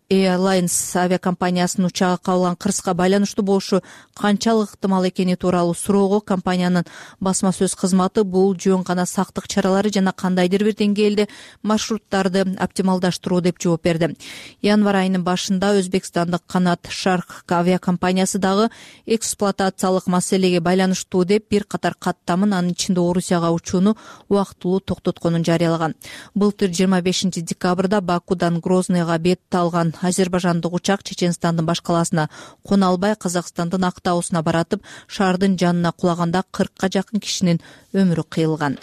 Airlines авиакомпаниясынын учагы кабылган кырсыка байланыштуу болушу канчалык ыктымал экени тууралуу суроого компаниянын басма сөз кызматы бул жөн гана сактык чаралары жана кандайдыр бир деңгээлде маршруттарды оптималдаштыруу деп жооп берди. Январь айынын башында Өзбекстандык Канат Шарк авиакомпаниясы дагы эксплуатациялык маселеге байланыштуу деп бир катар каттамын, анын ичинде Орусияга учууну убактылуу токтотконун жарыялаган. Былтыр жыйырма бешинчи декабрда Бакудан Грозныйга бет алган азербайжандык учак Чеченстандын баш калаасына кона албай Казакстандын Актаусуна баратып, шаардын жанына кулаганда кыркка жакын кишинин өмүрү кыйылган.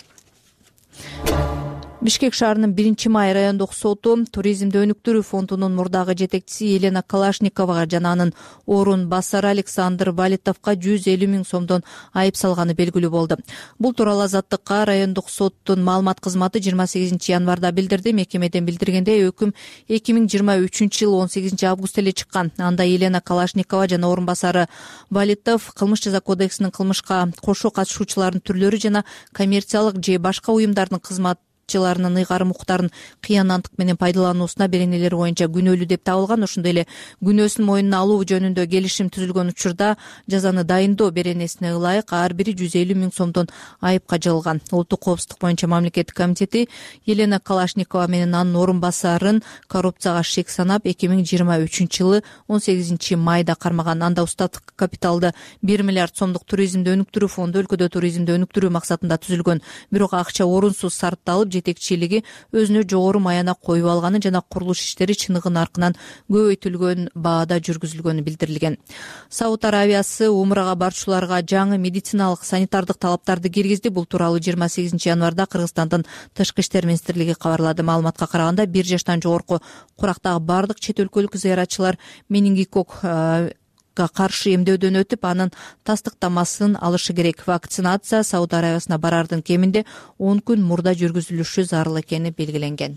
Бишкек шаарынын биринчи май райондук соту туризмди өнүктүрүү фондунун мурдагы жетекчиси Елена Калашниковага жана анын орун басары Александр Валитовго жүз элүү миң сомдон айып салганы белгилүү болду. Бул тууралуу Азаттыкка райондук соттун маалымат кызматы жыйырма сегизинчи январда билдирди. Мекемеден билдиргендей, өкүм эки миң жыйырма үчүнчү жылы он сегизинчи август эле чыккан. Анда Елена Калашникова жана орун басары Валитов кылмыш жаза кодексинин кылмышка кошо катышуучулардын түрлөрү жана коммерциялык же башка уюмдардын кызмат ларынын ыйгарым укуктарын кыянаттык менен пайдалануусуна беренелери боюнча күнөөлүү деп табылган. Ошондой эле күнөөсүн мойнуна алуу жөнүндө келишим түзүлгөн учурда жазаны дайындоо беренесине ылайык ар бири жүз элүү миң сомдон айыпка жыгылган. Улуттук коопсуздук боюнча мамлекеттик комитети Елена Калашникова менен анын орун басарын коррупцияга шек санап эки миң жыйырма үчүнчү жылы он сегизинчи майда кармаган. Анда устаттык капиталды бир миллиард сомдук туризмди өнүктүрүү фонду өлкөдө туризмди өнүктүрүү максатында түзүлгөн. Бирок акча орунсуз сарпталып, жетекчилиги өзүнө жогору маяна коюп алганы жана курулуш иштери чыныгы наркынан көбөйтүлгөн баада жүргүзүлгөнү билдирилген. Сауд Аравиясы умрага барчуларга жаңы медициналык санитардык талаптарды киргизди. Бул тууралуу жыйырма сегизинчи январда Кыргызстандын тышкы иштер министрлиги кабарлады. Маалыматка караганда, бир жаштан жогорку курактагы бардык чет өлкөлүк зыяратчылар менингокок каршы эмдөөдөн өтүп, анын тастыктамасын алышы керек. Вакцинация Сауд Аравиясына барардын кеминде он күн мурда жүргүзүлүшү зарыл экени белгиленген.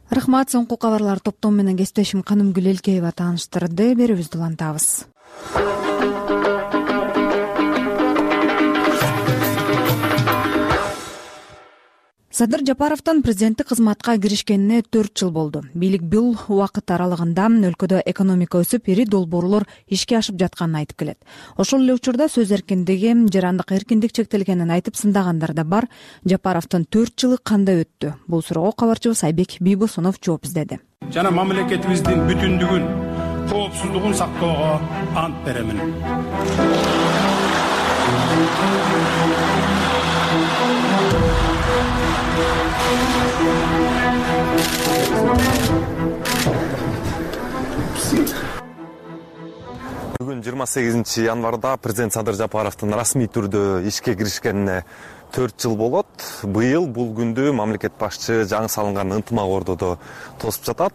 Рахмат, соңку кабарлар топтому менен кесиптешим Канымгүл Элкеева тааныштырды. Берүүбүздү улантабыз. Садыр Жапаровдун президенттик кызматка киришкенине төрт жыл болду. Бийлик бул убакыт аралыгында өлкөдө экономика өсүп, ири долбоорлор ишке ашып жатканын айтып келет. Ошол эле учурда сөз эркиндиги, жарандык эркиндик чектелгенин айтып сындагандар да бар. Жапаровдун төрт жылы кандай өттү? Бул суроого кабарчыбыз Айбек Бийбосунов жооп издеди. Жана мамлекетибиздин бүтүндүгүн, коопсуздугун сактоого ант беремин. Бүгүн жыйырма сегизинчи январда президент Садыр Жапаровдун расмий түрдө ишке киришкенине төрт жыл болот. Быйыл бул күндү мамлекет башчы жаңы салынган ынтымак ордодо тосуп жатат.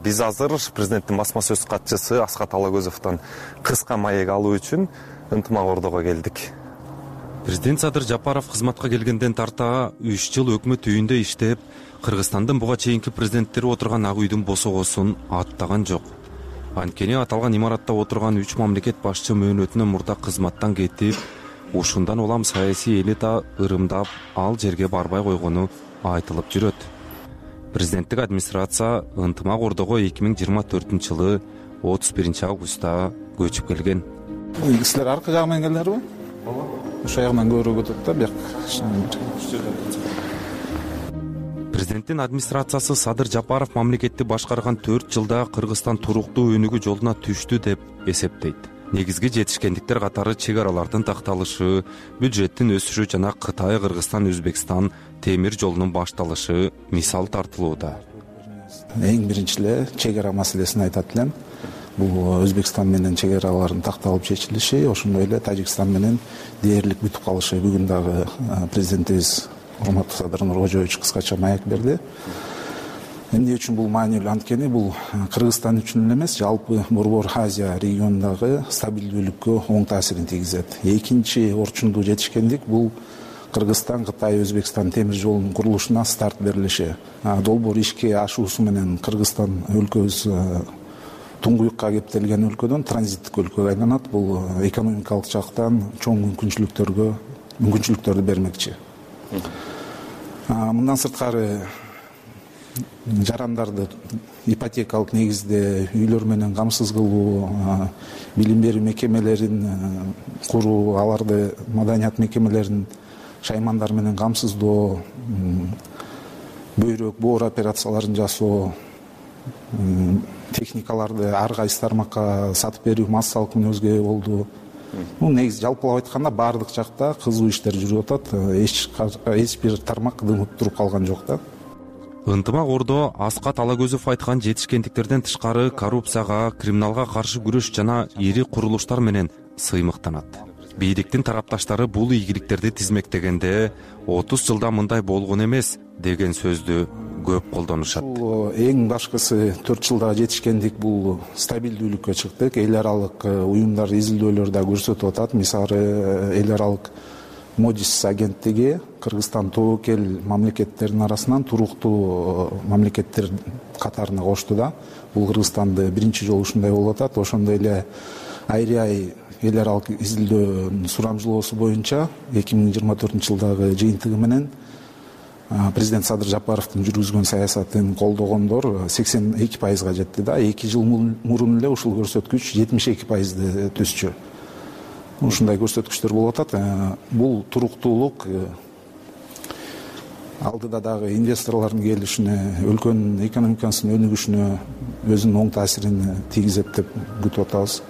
Биз азыр президенттин басма сөз катчысы Аскат Алагөзовдон кыска маек алуу үчүн ынтымак ордого келдик. Президент Садыр Жапаров кызматка келгенден тарта үч жыл өкмөт үйүндө иштеп, Кыргызстандын буга чейинки президенттери отурган ак үйдүн босогосун аттаган жок. Анткени аталган имаратта отурган үч мамлекет башчы мөөнөтүнөн мурда кызматтан кетип, ушундан улам саясий элита ырымдап ал жерге барбай койгону айтылып жүрөт. Президенттик администрация ынтымак ордого эки миң жыйырма төртүнчү жылы отуз биринчи августта көчүп келген. Силер аркы жагы менен келдиңерби? Ошол жагынан көбүрөөк өтөт да, бияк. Президенттин администрациясы Садыр Жапаров мамлекетти башкарган төрт жылда Кыргызстан туруктуу өнүгүү жолуна түштү деп эсептейт. Негизги жетишкендиктер катары чек аралардын такталышы, бюджеттин өсүшү жана Кытай, Кыргызстан, Өзбекстан темир жолунун башталышы мисал тартылууда. Эң биринчи эле чек ара маселесин айтат элем. Бул Өзбекстан менен чек аралардын такталып чечилиши, ошондой эле Тажикстан менен дээрлик бүтүп калышы. Бүгүн дагы президентибиз урматтуу Садыр Нуркожоевич кыскача маек берди. Эмне үчүн бул маанилүү? Анткени бул Кыргызстан үчүн эле эмес, жалпы Борбор Азия регионундагы стабилдүүлүккө оң таасирин тийгизет. Экинчи орчундуу жетишкендик бул Кыргызстан, Кытай, Өзбекстан темир жолунун курулушуна старт берилиши. Долбоор ишке ашуусу менен Кыргызстан өлкөбүз туңгуюкка кептелген өлкөдөн транзиттик өлкөгө айланат. Бул экономикалык жактан чоң мүмкүнчүлүктөргө мүмкүнчүлүктөрдү бермекчи. Мындан сырткары жарандарды ипотекалык негизде үйлөр менен камсыз кылуу, билим берүү мекемелерин куруу, аларды маданият мекемелерин шаймандар менен камсыздоо, бөйрөк, боор операцияларын жасоо, техникаларды ар кайсы тармакка сатып берүү массалык мүнөзгө ээ болду. Бул негизи жалпылап айтканда баардык жакта кызуу иштер жүрүп атат. Эч бир тармак дымып туруп калган жок да. Ынтымак ордо Аскат Алагөзов айткан жетишкендиктерден тышкары коррупцияга, криминалга каршы күрөш жана ири курулуштар менен сыймыктанат. Бийликтин тарапташтары бул ийгиликтерди тизмектегенде отуз жылда мындай болгон эмес деген сөздү көп колдонушат. Эң башкысы төрт жылда жетишкендик бул стабилдүүлүккө чыктык. Эл аралык уюмдар изилдөөлөр да көрсөтүп атат. Мисалы эл аралык Модис агенттиги Кыргызстан тобокел мамлекеттеринин арасынан туруктуу мамлекеттер катарына кошту да. Бул Кыргызстанды биринчи жолу ушундай болуп атат. Ошондой эле Айрай эл аралык изилдөөнүн сурамжылоосу боюнча эки миң жыйырма төртүнчү жылдагы жыйынтыгы менен президент Садыр Жапаровдун жүргүзгөн саясатын колдогондор сексен эки пайызга жетти да. эки жыл мурун эле ушул көрсөткүч жетимиш эки пайызды төсчү. Ушундай көрсөткүчтөр болуп атат. Бул туруктуулук алдыда дагы инвесторлордун келишине, өлкөнүн экономикасынын өнүгүшүнө өзүнүн оң таасирин тийгизет деп күтүп атабыз.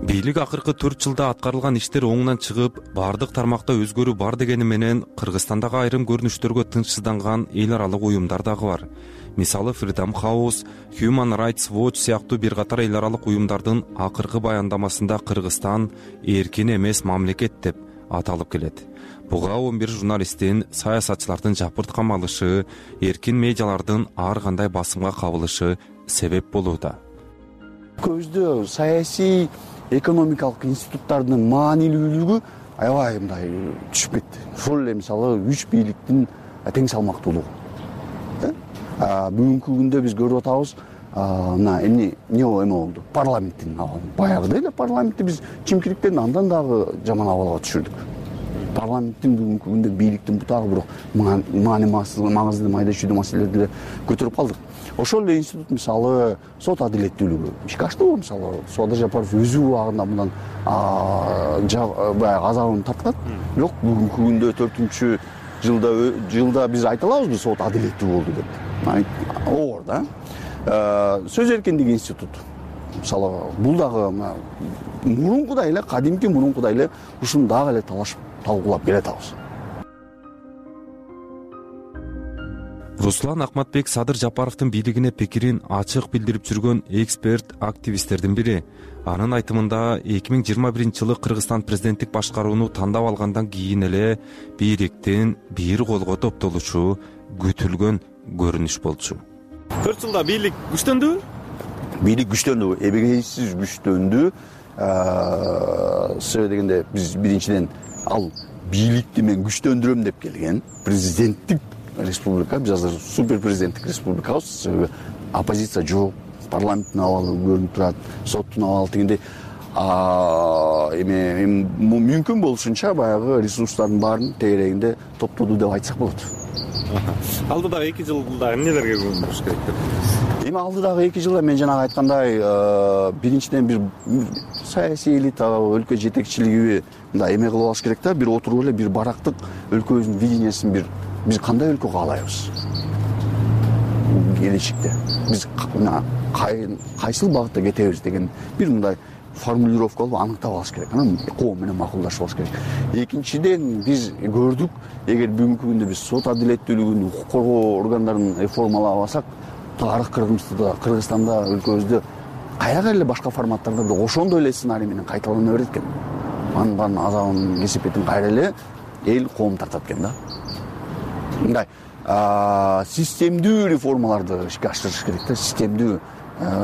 Бийлик акыркы төрт жылда аткарылган иштер оңунан чыгып, бардык тармакта өзгөрүү бар дегени менен Кыргызстандагы айрым көрүнүштөргө тынчсызданган эл аралык уюмдар дагы бар. Мисалы Freedom House, Human Rights Watch сыяктуу бир катар эл аралык уюмдардын акыркы баяндамасында Кыргызстан эркин эмес мамлекет деп аталып келет. Буга он бир журналисттин, саясатчылардын жапырт камалышы, эркин медиалардын ар кандай басымга кабылышы себеп болууда. Көздө саясий экономикалык институттардын маанилүүлүгү аябай мындай түшүп кетти. Ошол эле мисалы үч бийликтин тең салмактуулугу. Бүгүнкү күндө биз көрүп атабыз, мына эмне эмне болду? Парламенттин баягыда эле парламентти биз чимкириктен андан дагы жаман абалга түшүрдүк. Парламенттин бүгүнкү күндө бийликтин бутагы бирок маңызды майда чүйдүү маселелерди эле көтөрүп калдык. Ошол эле институт мисалы сот адилеттүүлүгү ишке аштыбы? Мисалы Садыр Жапаров өзү убагында мындан баягы азабын тарткан. Бирок бүгүнкү күндө төртүнчү жылда жылда биз айта алабызбы сот адилеттүү болду деп? Оор да. Сөз эркиндиги институт. Мисалы бул дагы мурункудай эле, кадимки мурункудай эле ушуну дагы эле талашып талкуулап келатабыз. Руслан Акматбек Садыр Жапаровдун бийлигине пикирин ачык билдирип жүргөн эксперт, активисттердин бири. Анын айтымында эки миң жыйырма биринчи жылы Кыргызстан президенттик башкарууну тандап алгандан кийин эле бийликтин бир колго топтолушу күтүлгөн көрүнүш болчу. төрт жылда бийлик күчтөндүбү? Бийлик күчтөндү, эбегейсиз күчтөндү. себеби дегенде биз биринчиден ал бийликти мен күчтөндүрөм деп келген президенттик республика, биз азыр супер президенттик республикабыз, себеби оппозиция жок, парламенттин абалы көрүнүп турат, соттун абалы дегенде эми мүмкүн болушунча баягы ресурстардын баарын тегерегинде топтоду деп айтсак болот. Алдыдагы эки жылда эмнелерге көңүл буруш керек деп ойлойсуз? Эми алдыдагы эки жылда мен жанагы айткандай биринчиден бир саясий элита, өлкө жетекчилиги мындай эме кылып алыш керек да, бир отуруп эле бир барактык өлкөбүздүн видениясын бир биз кандай өлкө каалайбыз келечекте, биз кайсыл багытта кетебиз деген бир мындай формулировка кылып аныктап алыш керек, анан коом менен макулдашып алыш керек. Экинчиден биз көрдүк, эгер бүгүнкү күндө биз сот адилеттүүлүгүн, укук коргоо органдарын реформалап алсак, тарых Кыргызстанда, өлкөбүздө каяка эле башка форматтарда да ошондой эле сценарий менен кайталана берет экен. Анын баарын азабын, кесепетин кайра эле эл коом тартат экен да. Мындай системдүү реформаларды ишке ашырыш керек да, системдүү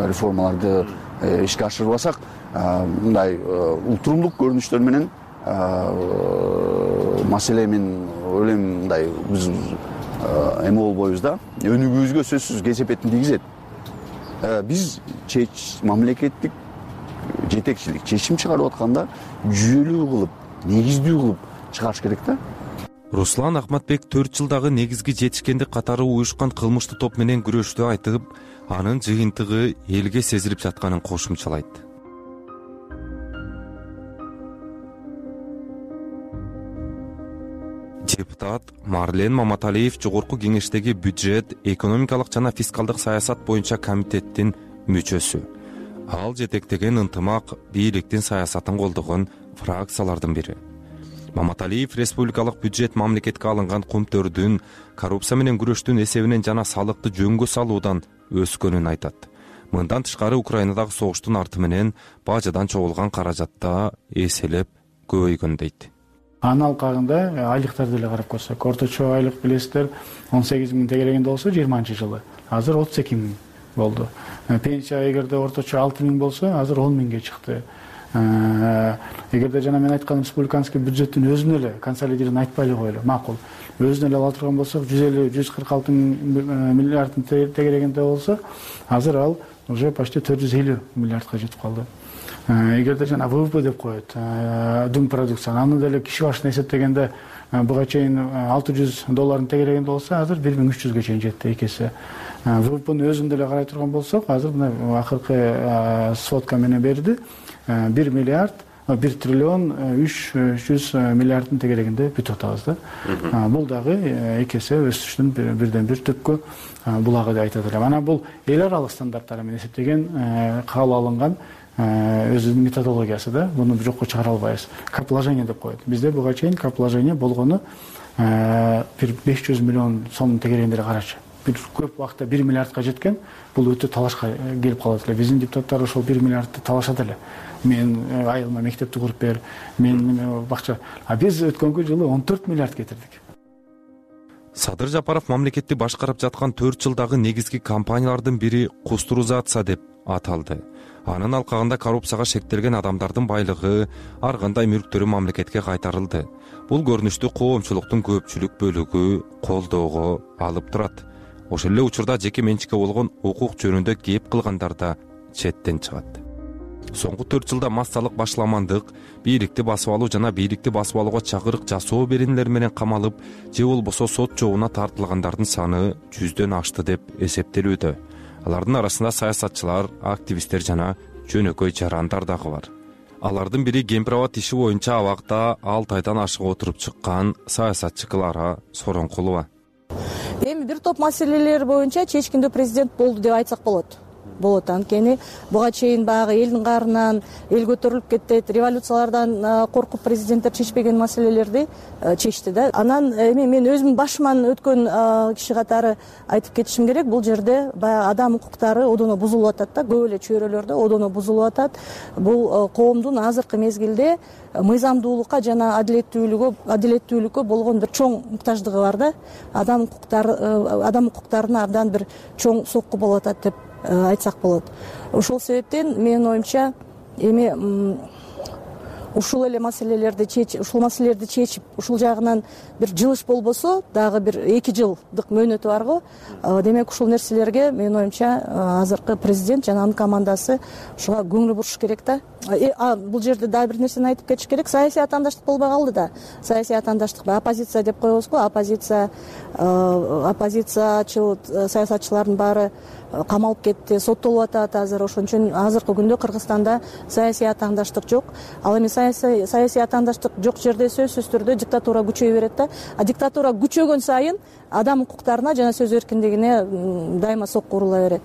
реформаларды ишке ашырбасак, мындай ултурумдук көрүнүштөр менен маселе мен ойлойм мындай биз эме болбойбуз да, өнүгүүбүзгө сөзсүз кесепетин тийгизет. Биз мамлекеттик жетекчилик чечим чыгарып атканда жүйөлүү кылып, негиздүү кылып чыгарыш керек да. Руслан Ахматбек төрт жылдагы негизги жетишкендик катары уюшкан кылмыштуу топ менен күрөштү айтып, анын жыйынтыгы элге сезилип жатканын кошумчалайт. Депутат Марлен Маматалиев Жогорку кеңештеги бюджет, экономикалык жана фискалдык саясат боюнча комитеттин мүчөсү. Ал жетектеген ынтымак бийликтин саясатын колдогон фракциялардын бири. Маматалиев республикалык бюджет мамлекетке алынган кумтөрдүн коррупция менен күрөштүн эсебинен жана салыкты жөнгө салуудан өскөнүн айтат. Мындан тышкары Украинадагы согуштун арты менен бажадан чогулган каражатта эселеп көбөйгөн дейт. Анын алкагында айлыктарды эле карап көрсөк, орточо айлык билесиздер он сегиз миң тегерегинде болсо жыйырманчы жылы, азыр отуз эки миң болду. Пенсия эгерде орточо алты миң болсо, азыр он миңге чыкты. Эгерде жана мен айткан республиканский бюджеттин өзүн эле консолидированный айтпай эле коелу, макул. Өзүн эле ала турган болсок, жүз элүү жүз кырк алты миллиарддын тегерегинде болсо, азыр ал уже почти төрт жүз элүү миллиардка жетип калды. Эгерде жана ВВП деп коет, дүң продукция, аны деле киши башына эсептегенде буга чейин алты жүз доллардын тегерегинде болсо, азыр бир миң үч жүзгө чейин жетти экесе. ВВПнын өзүн деле карай турган болсок, азыр мына акыркы сводка менен берди, бир миллиард, бир триллион үч жүз миллиарддын тегерегинде бүтүп атабыз да. Бул дагы экесе өсүштүн бирден бир түпкү булагы деп айтат элем. Анан бул эл аралык стандарттар менен эсептеген, кабыл алынган өзүнүн методологиясы да, буну жокко чыгара албайбыз. Капложение деп коет. Бизде буга чейин капложение болгону бир беш жүз миллион сомдун тегерегинде карачы. Бир көп убакта бир миллиардка жеткен, бул өтө талашка келип калат эле. Биздин депутаттар ошол бир миллиардты талашат эле. Мен айылыма мектепти куруп бер, мен бакча. А биз өткөнгү жылы он төрт миллиард кетирдик. Садыр Жапаров мамлекетти башкарып жаткан төрт жылдагы негизги компаниялардын бири Кустурузация деп аталды. Анын алкагында коррупцияга шектелген адамдардын байлыгы, ар кандай мүлктөрү мамлекетке кайтарылды. Бул көрүнүштү коомчулуктун көпчүлүк бөлүгү колдоого алып турат. Ошол эле учурда жеке менчикке болгон укук жөнүндө кеп кылгандар да четтен чыгат. Соңку төрт жылда массалык башламандык, бийликти басып алуу жана бийликти басып алууга чакырык жасоо беренелер менен камалып, же болбосо сот жообуна тартылгандардын саны жүздөн ашты деп эсептелүүдө. Алардын арасында саясатчылар, активисттер жана жөнөкөй жарандар дагы бар. Алардын бири Кемпирабад иши боюнча абакта алты айдан ашык отуруп чыккан саясатчы Клара Соронкулова. Эми бир топ маселелер боюнча чечкиндүү президент болду деп айтсак болот. Болот, анткени буга чейин баягы элдин каарынан эл көтөрүлүп кетет, революциялардан коркуп президенттер чечпеген маселелерди чечти да. Анан эми мен өзүмдүн башыман өткөн киши катары айтып кетишим керек, бул жерде баягы адам укуктары одоно бузулуп атат да, көп эле чөйрөлөрдө одоно бузулуп атат. Бул коомдун азыркы мезгилде мыйзамдуулукка жана адилеттүүлүккө адилеттүүлүккө болгон бир чоң муктаждыгы бар да. Адам укуктары адам укуктарына абдан бир чоң сокку болуп атат деп айтсак болот. Ошол себептен менин оюмча эми ушул эле маселелерди чечип ушул маселелерди чечип ушул жагынан бир жылыш болбосо дагы бир эки жылдык мөөнөтү бар го. Демек ушул нерселерге менин оюмча азыркы президент жана анын командасы ушуга көңүл буруш керек да. Бул жерде дагы бир нерсени айтып кетиш керек. Саясий атаандаштык болбой калды да. Саясий атаандаштык оппозиция деп коебуз го. Оппозиция оппозициячыл саясатчылардын баары камалып кетти, соттолуп атат азыр. Ошон үчүн азыркы күндө Кыргызстанда саясий атаандаштык жок. Ал эми саясий атаандаштык жок жерде сөзсүз түрдө диктатура күчөйө берет да. А диктатура күчөгөн сайын адам укуктарына жана сөз эркиндигине дайыма сокку урула берет.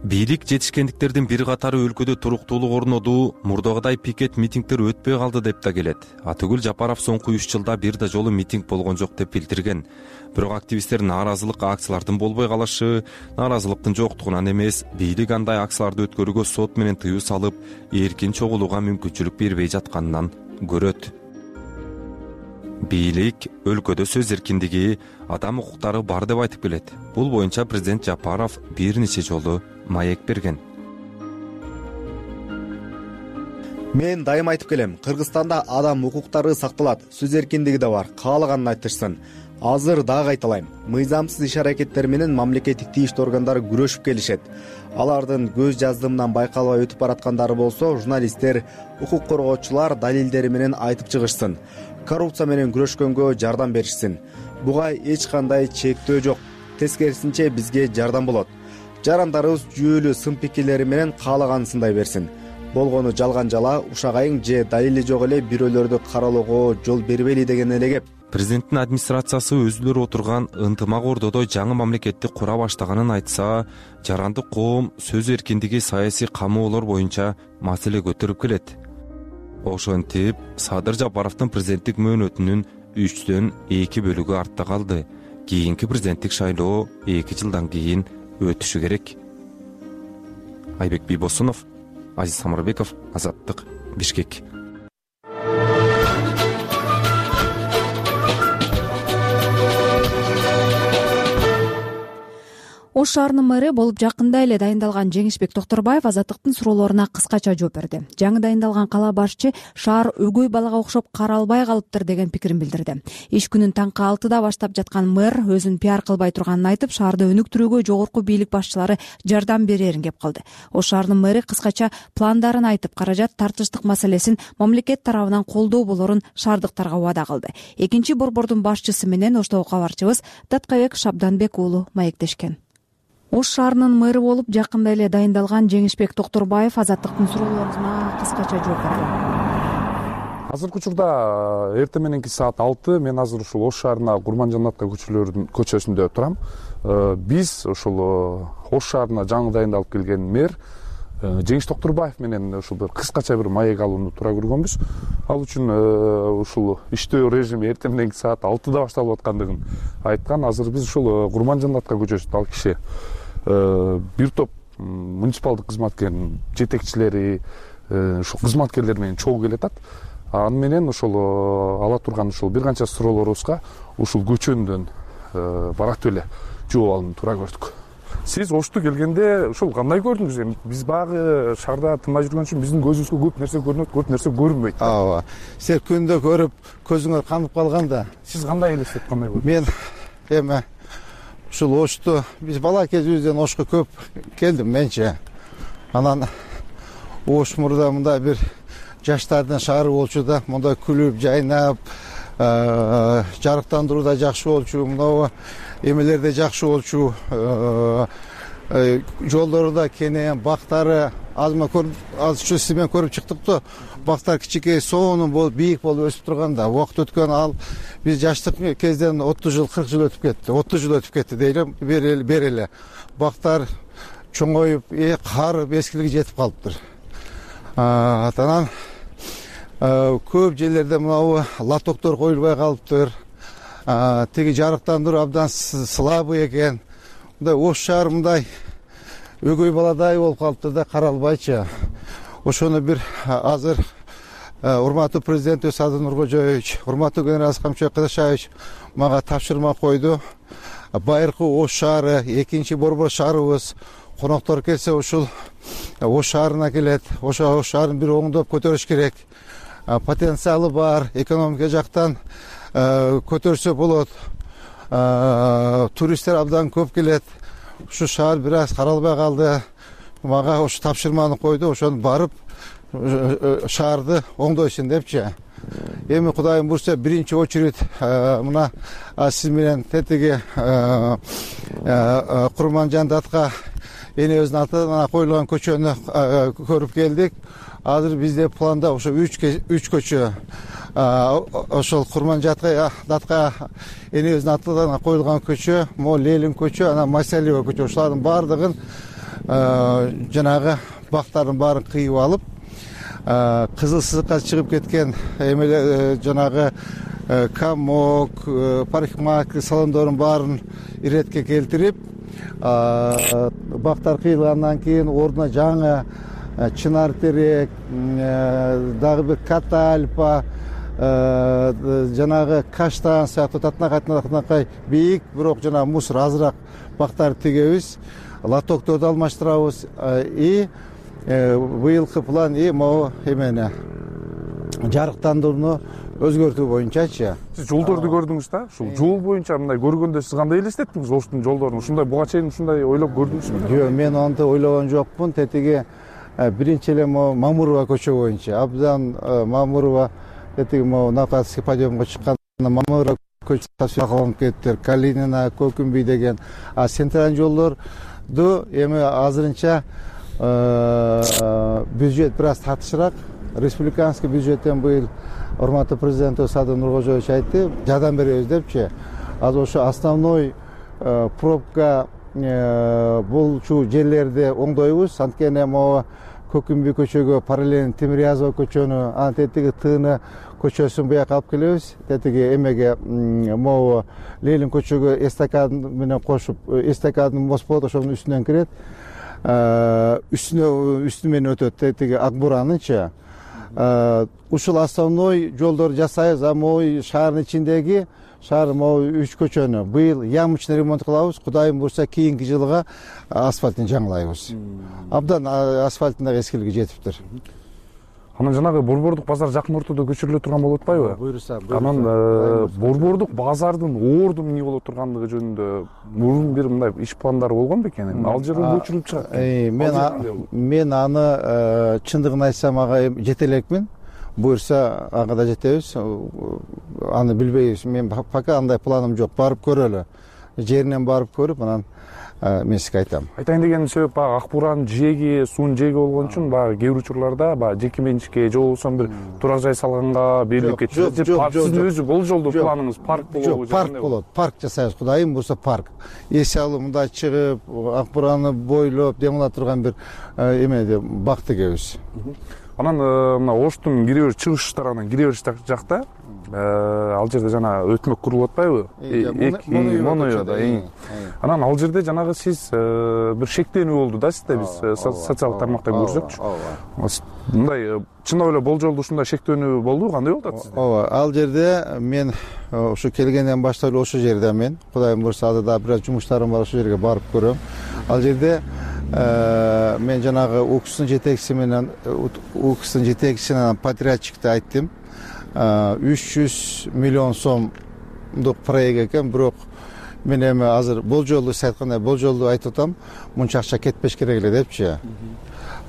Бийлик жетишкендиктердин бир катары өлкөдө туруктуулук орноду, мурдагыдай пикет митингдер өтпөй калды деп да келет. Атыгүл Жапаров соңку үч жылда бир да жолу митинг болгон жок деп билдирген. Бирок активисттер нааразылык акциялардын болбой калышы, нааразылыктын жоктугунан эмес, бийлик андай акцияларды өткөрүүгө сот менен тыюу салып, эркин чогулууга мүмкүнчүлүк бербей жатканынан көрөт. Бийлик өлкөдө сөз эркиндиги, адам укуктары бар деп айтып келет. Бул боюнча президент Жапаров бир нече жолу маек берген. Мен дайым айтып келем, Кыргызстанда адам укуктары сакталат, сөз эркиндиги да бар, каалаганын айтышсын. Азыр дагы айталайм, мыйзамсыз иш-аракеттер менен мамлекеттик тийиштүү органдары күрөшүп келишет. Алардын көз жаздымынан байкалбай өтүп бараткандары болсо, журналисттер, укук коргоочулар далилдери менен айтып чыгышсын. Коррупция менен күрөшкөнгө жардам беришсин. Буга эч кандай чектөө жок. Тескерисинче бизге жардам болот. Жарандарыбыз жүйөлүү сын пикирлери менен каалаганын сындай берсин. Болгону жалган жала, ушагайың же далили жок эле бирөөлөрдү каралоого жол бербейли деген эле кеп. Президенттин администрациясы өзүлөр отурган ынтымак ордодо жаңы мамлекетти кура баштаганын айтса, жарандык коом сөз эркиндиги, саясий камоолор боюнча маселе көтөрүп келет. Ошентип, Садыр Жапаровдун президенттик мөөнөтүнүн үчтөн эки бөлүгү артта калды. Кийинки президенттик шайлоо эки жылдан кийин өтүшү керек. Айбек Бийбосунов, Азиз Самарбеков, Азаттык, Бишкек. Ош шаарынын мэри болуп жакында эле дайындалган Жеңишбек Токторбаев Азаттыктын суроолоруна кыскача жооп берди. Жаңы дайындалган кала башчы шаар өгөй балага окшоп каралбай калыптыр деген пикирин билдирди. Иш күнүн таңкы алтыда баштап жаткан мэр өзүн пиар кылбай турганын айтып, шаарды өнүктүрүүгө жогорку бийлик башчылары жардам берерин кеп калды. Ош шаарынын мэри кыскача пландарын айтып, каражат тартыштык маселесин мамлекет тарабынан колдоо болорун шаардыктарга убада кылды. Экинчи борбордун башчысы менен Оштогу кабарчыбыз Таткабек Шабданбек уулу маектешкен. Ош шаарынын мэри болуп жакында эле дайындалган Жеңишбек Токторбаев Азаттыктын суроолоруна кыскача жооп берди. Азыркы учурда эртең мененки саат алты мен азыр ушул Ош шаарына Курманжанатка көчөлөрүнүн көчөсүндө турам. Биз ушул Ош шаарына жаңы дайындалып келген мэр Жеңиш Токторбаев менен ушул бир кыскача бир маек алууну туура көргөнбүз. Ал үчүн ушул иштөө режими эртең мененки саат алтыда башталып аткандыгын айткан. Азыр биз ушул Курманжанатка көчөсүндө ал киши бир топ муниципалдык кызматкердин жетекчилери, ушул кызматкерлер менен чогуу келатат. Аны менен ушул ала турган ушул бир канча суроолорубузга ушул көчөндөн баратып эле жооп алууну туура көрдүк. Сиз Ошту келгенде ушул кандай көрдүңүз? Эми биз багы шаарда тынбай жүргөн үчүн биздин көзүбүзгө көп нерсе көрүнөт, көп нерсе көрүнбөйт. Ооба. Сиз күндө көрүп, көзүңөр канып калганда, сиз кандай элестетип, кандай көрдүңүз? Мен эми ушул Ошту биз бала кезибизден Ошко көп келдим менче. Анан Ош мурда мындай бир жаштардын шаары болчу да, мындай күлүп, жайнап, жарыктандыруу да жакшы болчу, мынау эмелер да жакшы болчу. Жолдору да кенен, бактары азма көрүп, азчу сиз менен көрүп чыктык да. Бактар кичике, сонун болуп, бийик болуп өсүп турганда, убакыт өткөн ал биз жаштык кезден отуз жыл, кырк жыл өтүп кетти. отуз жыл өтүп кетти дейли, бери эле. Бактар чоңоюп, карып, эскилиги жетип калыптыр. Анан көп жерлерде мынау лотоктор коюлбай калыптыр. Тиги жарыктандыруу абдан слабый экен. Мындай Ош шаар мындай өгөй баладай болуп калыптыр да, каралбайчы. Ошону бир азыр урматтуу президент Садыр Нуркожоевич, урматтуу генерал Камчыбек Кадышевич мага тапшырма койду. Байыркы Ош шаары, экинчи борбор шаарыбыз, коноктор келсе ушул Ош шаарына келет. Ошо Ош шаарын бир оңдоп көтөрүш керек. Потенциалы бар, экономика жактан көтөрсө болот. Туристтер абдан көп келет. Ушу шаар бир аз каралбай калды. Мага ошо тапшырманы койду, ошону барып шаарды оңдойсун депчи. Эми Кудайым буйрса биринчи очередь мына сиз менен тетиги Курманжан датка энебиздин атынан коюлган көчөнү көрүп келдик. Азыр бизде планда ошо үч көчө ошол Курманжан датка энебиздин атынан коюлган көчө, могу Ленин көчө, анан Масалиева көчө, ошолардын баардыгын жанагы бактардын баарын кыйып алып, кызыл сызыкка чыгып кеткен эмелер жанагы комок, парикмахер салондордун баарын иретке келтирип, бактар кыйылгандан кийин ордуна жаңы чынар терек, дагы бир катальпа, жанагы каштан сыяктуу татынакай бийик, бирок жанагы мусор азыраак бактарды тигебиз, лотокторду алмаштырабыз. И быйылкы план и могу эмени жарыктандырууну өзгөртүү боюнчачы. Сиз жолдорду көрдүңүз да? Ушул жол боюнча мындай көргөндө сиз кандай элестеттиңиз Оштун жолдорун? Ушундай буга чейин ушундай ойлоп көрдүңүзбү? Жок, мен антип ойлогон жокмун. Тетиги биринчи эле могу Мамурова көчө боюнча абдан Мамурова тетиги могу Накатский подъемго чыкканда Мамурова көчөсү калып кеттир, Калинина, Көкүмбүй деген. А центральный жолдорду эми азырынча бюджет бир аз татышыраак. Республиканский бюджеттен быйыл урматтуу президентибиз Садыр Нуркожоевич айтты, жардам беребиз депчи. Азыр ошо основной пробка болчу жерлерди оңдойбуз. Анткени могу Көкүмбүй көчөгө параллельно Темирязева көчөнү, анан тетиги Тыыны көчөсүн буяка алып келебиз. Тетиги эмеге могу Ленин көчөгө эстакад менен кошуп, эстакадын мост болот, ошонун үстүнөн кирет. Үстүнө үстү менен өтөт тетиги Акбуранычы. Ушул основной жолдорду жасайбыз. А могу шаардын ичиндеги шаар могу үч көчөнү быйыл ямочный ремонт кылабыз. Кудайым буйрса кийинки жылга асфальтын жаңылайбыз. Абдан асфальттын дагы эскилиги жетиптир. Анан жанагы борбордук базар жакын ортодо көчүрүлө турган болуп атпайбы? Буйрса. Анан борбордук базардын орду эмне боло тургандыгы жөнүндө мурун бир мындай иш пландары болгон бекен? Ал жерде көчүрүлүп чыгат. Мен мен аны чындыгын айтсам ага жете элекмин. Буйрса ага да жетебиз. Аны билбейбиз. Мен пока андай планым жок. Барып көрөлү. Жеринен барып көрүп, анан мен сизге айтам. Айтайын деген себеп баягы Акбуранын жээги, суунун жээги болгон үчүн баягы кээ бир учурларда баягы жеке менчикке же болбосо бир турак жай салганга берилип кетишет. Сиздин өзү бул жолдо планыңыз парк болобу? Парк болот. Парк жасайбыз. Кудайым буйрса парк. Эси алып мындай чыгып, Акбураны бойлоп, демала турган бир эме бак тигебиз. Анан мына Оштун кире бериш чыгыш тарабынан кире бериш жакта ал жерде жана өтмөк курулуп атпайбы? Моноюда. Анан ал жерде жанагы сиз бир шектенүү болду да сизде, биз социалдык тармакта көрсөкчү. Мындай чындап эле болжолдуу ушундай шектенүү болду, кандай болуп атат сизде? Ооба, ал жерде мен ошо келгенден баштап эле ошол жерде мен Кудайым буйрса азыр да бир аз жумуштарым бар, ошол жерге барып көрөм. Ал жерде мен жанагы УКСтын жетекчиси менен УКСтын жетекчиси менен подрядчикти айттым. үч жүз миллион сомдук проект экен, бирок мен эми азыр болжолду сиз айткандай болжолду айтып атам, мынча акча кетпеш керек эле депчи.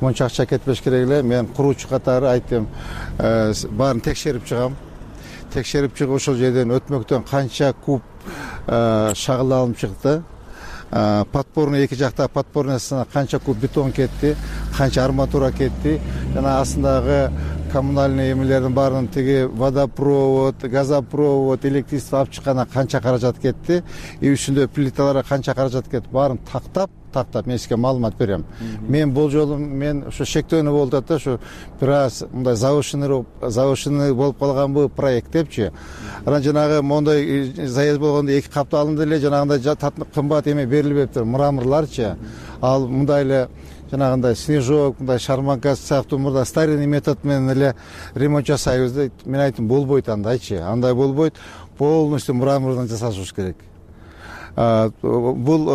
Мынча акча кетпеш керек эле. Мен куруучу катары айттым, баарын текшерип чыгам. Текшерип чыгып ошол жерден өтмөктөн канча куб шагыл алынып чыкты. Подпорный эки жакта подпорныйсына канча куб бетон кетти, канча арматура кетти. Жана астындагы коммунальный эмелердин баарынын тиги водопровод, газопровод, электричество алып чыккана канча каражат кетти, и үстүндө плиталарга канча каражат кетти, баарын тактап, тактап мен сизге маалымат берем. Мен болжолум мен ошо шектөөнү болуп атат да, ошо бир аз мындай завышенный завышенный болуп калган бул проект депчи. Анан жанагы моундай заезд болгондо эки капта алынды эле, жанагындай кымбат эме берилбептир, мраморларчы. Ал мындай эле жанагындай снежок, мындай шарманка сыяктуу мурда старинный метод менен эле ремонт жасайбыз деп мен айттым, болбойт андайчы. Андай болбойт. Полностью мрамордон жасашыбыз керек. бул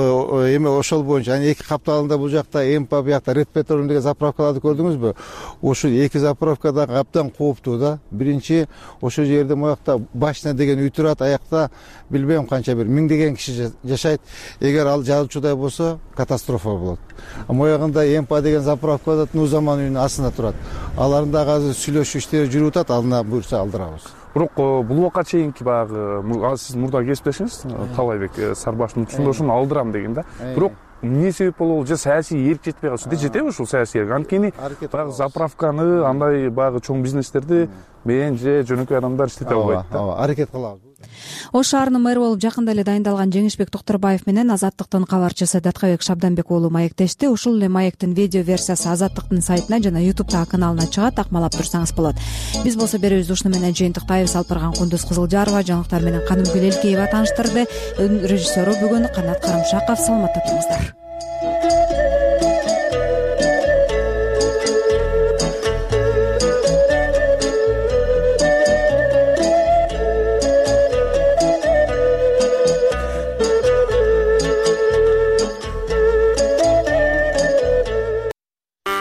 эме ошол боюнча анан эки капталында бул жакта эмпа, биякта ред петролиум деген заправкаларды көрдүңүзбү? Ушул эки заправка да абдан кооптуу да. Биринчи ошол жерде моякта башня деген үй турат, аякта билбейм канча бир миңдеген киши жашайт. Эгер ал жарылчудай болсо катастрофа болот. Моягында эмпа деген заправка да Нузаман үйүнүн астында турат. Алардын дагы азыр сүйлөшүү иштери жүрүп атат, алына буйрса алдырабыз. Бирок бул убакка чейинки баягы сиз мурда кесиптешиңиз Талайбек Сарбаштын учурунда ошону алдырам деген да. Бирок эмне себеп болобу? Же саясий эрк жетпей калды. Жетеби ушул саясий эрк? Анткени баягы заправканы, андай баягы чоң бизнестерди мен же жөнөкөй адамдар иштете албайт да. Ооба, аракет кылабыз. Ош шаарынын мэрі болуп жакында эле дайындалган Жеңишбек Токторбаев менен Азаттыктын кабарчысы Даткабек Шабданбек уулу маектешти. Ушул эле маектин видео версиясы Азаттыктын сайтына жана ютубтагы каналына чыгат, акмалап турсаңыз болот. Биз болсо берүүбүздү ушуну менен жыйынтыктайбыз. Алпырган Кундуз Кызылжарова жаңылыктар менен Канымгүл Элкеева тааныштырды. Режиссеру бүгүн Канат Карымшаков. Саламатта туруңуздар.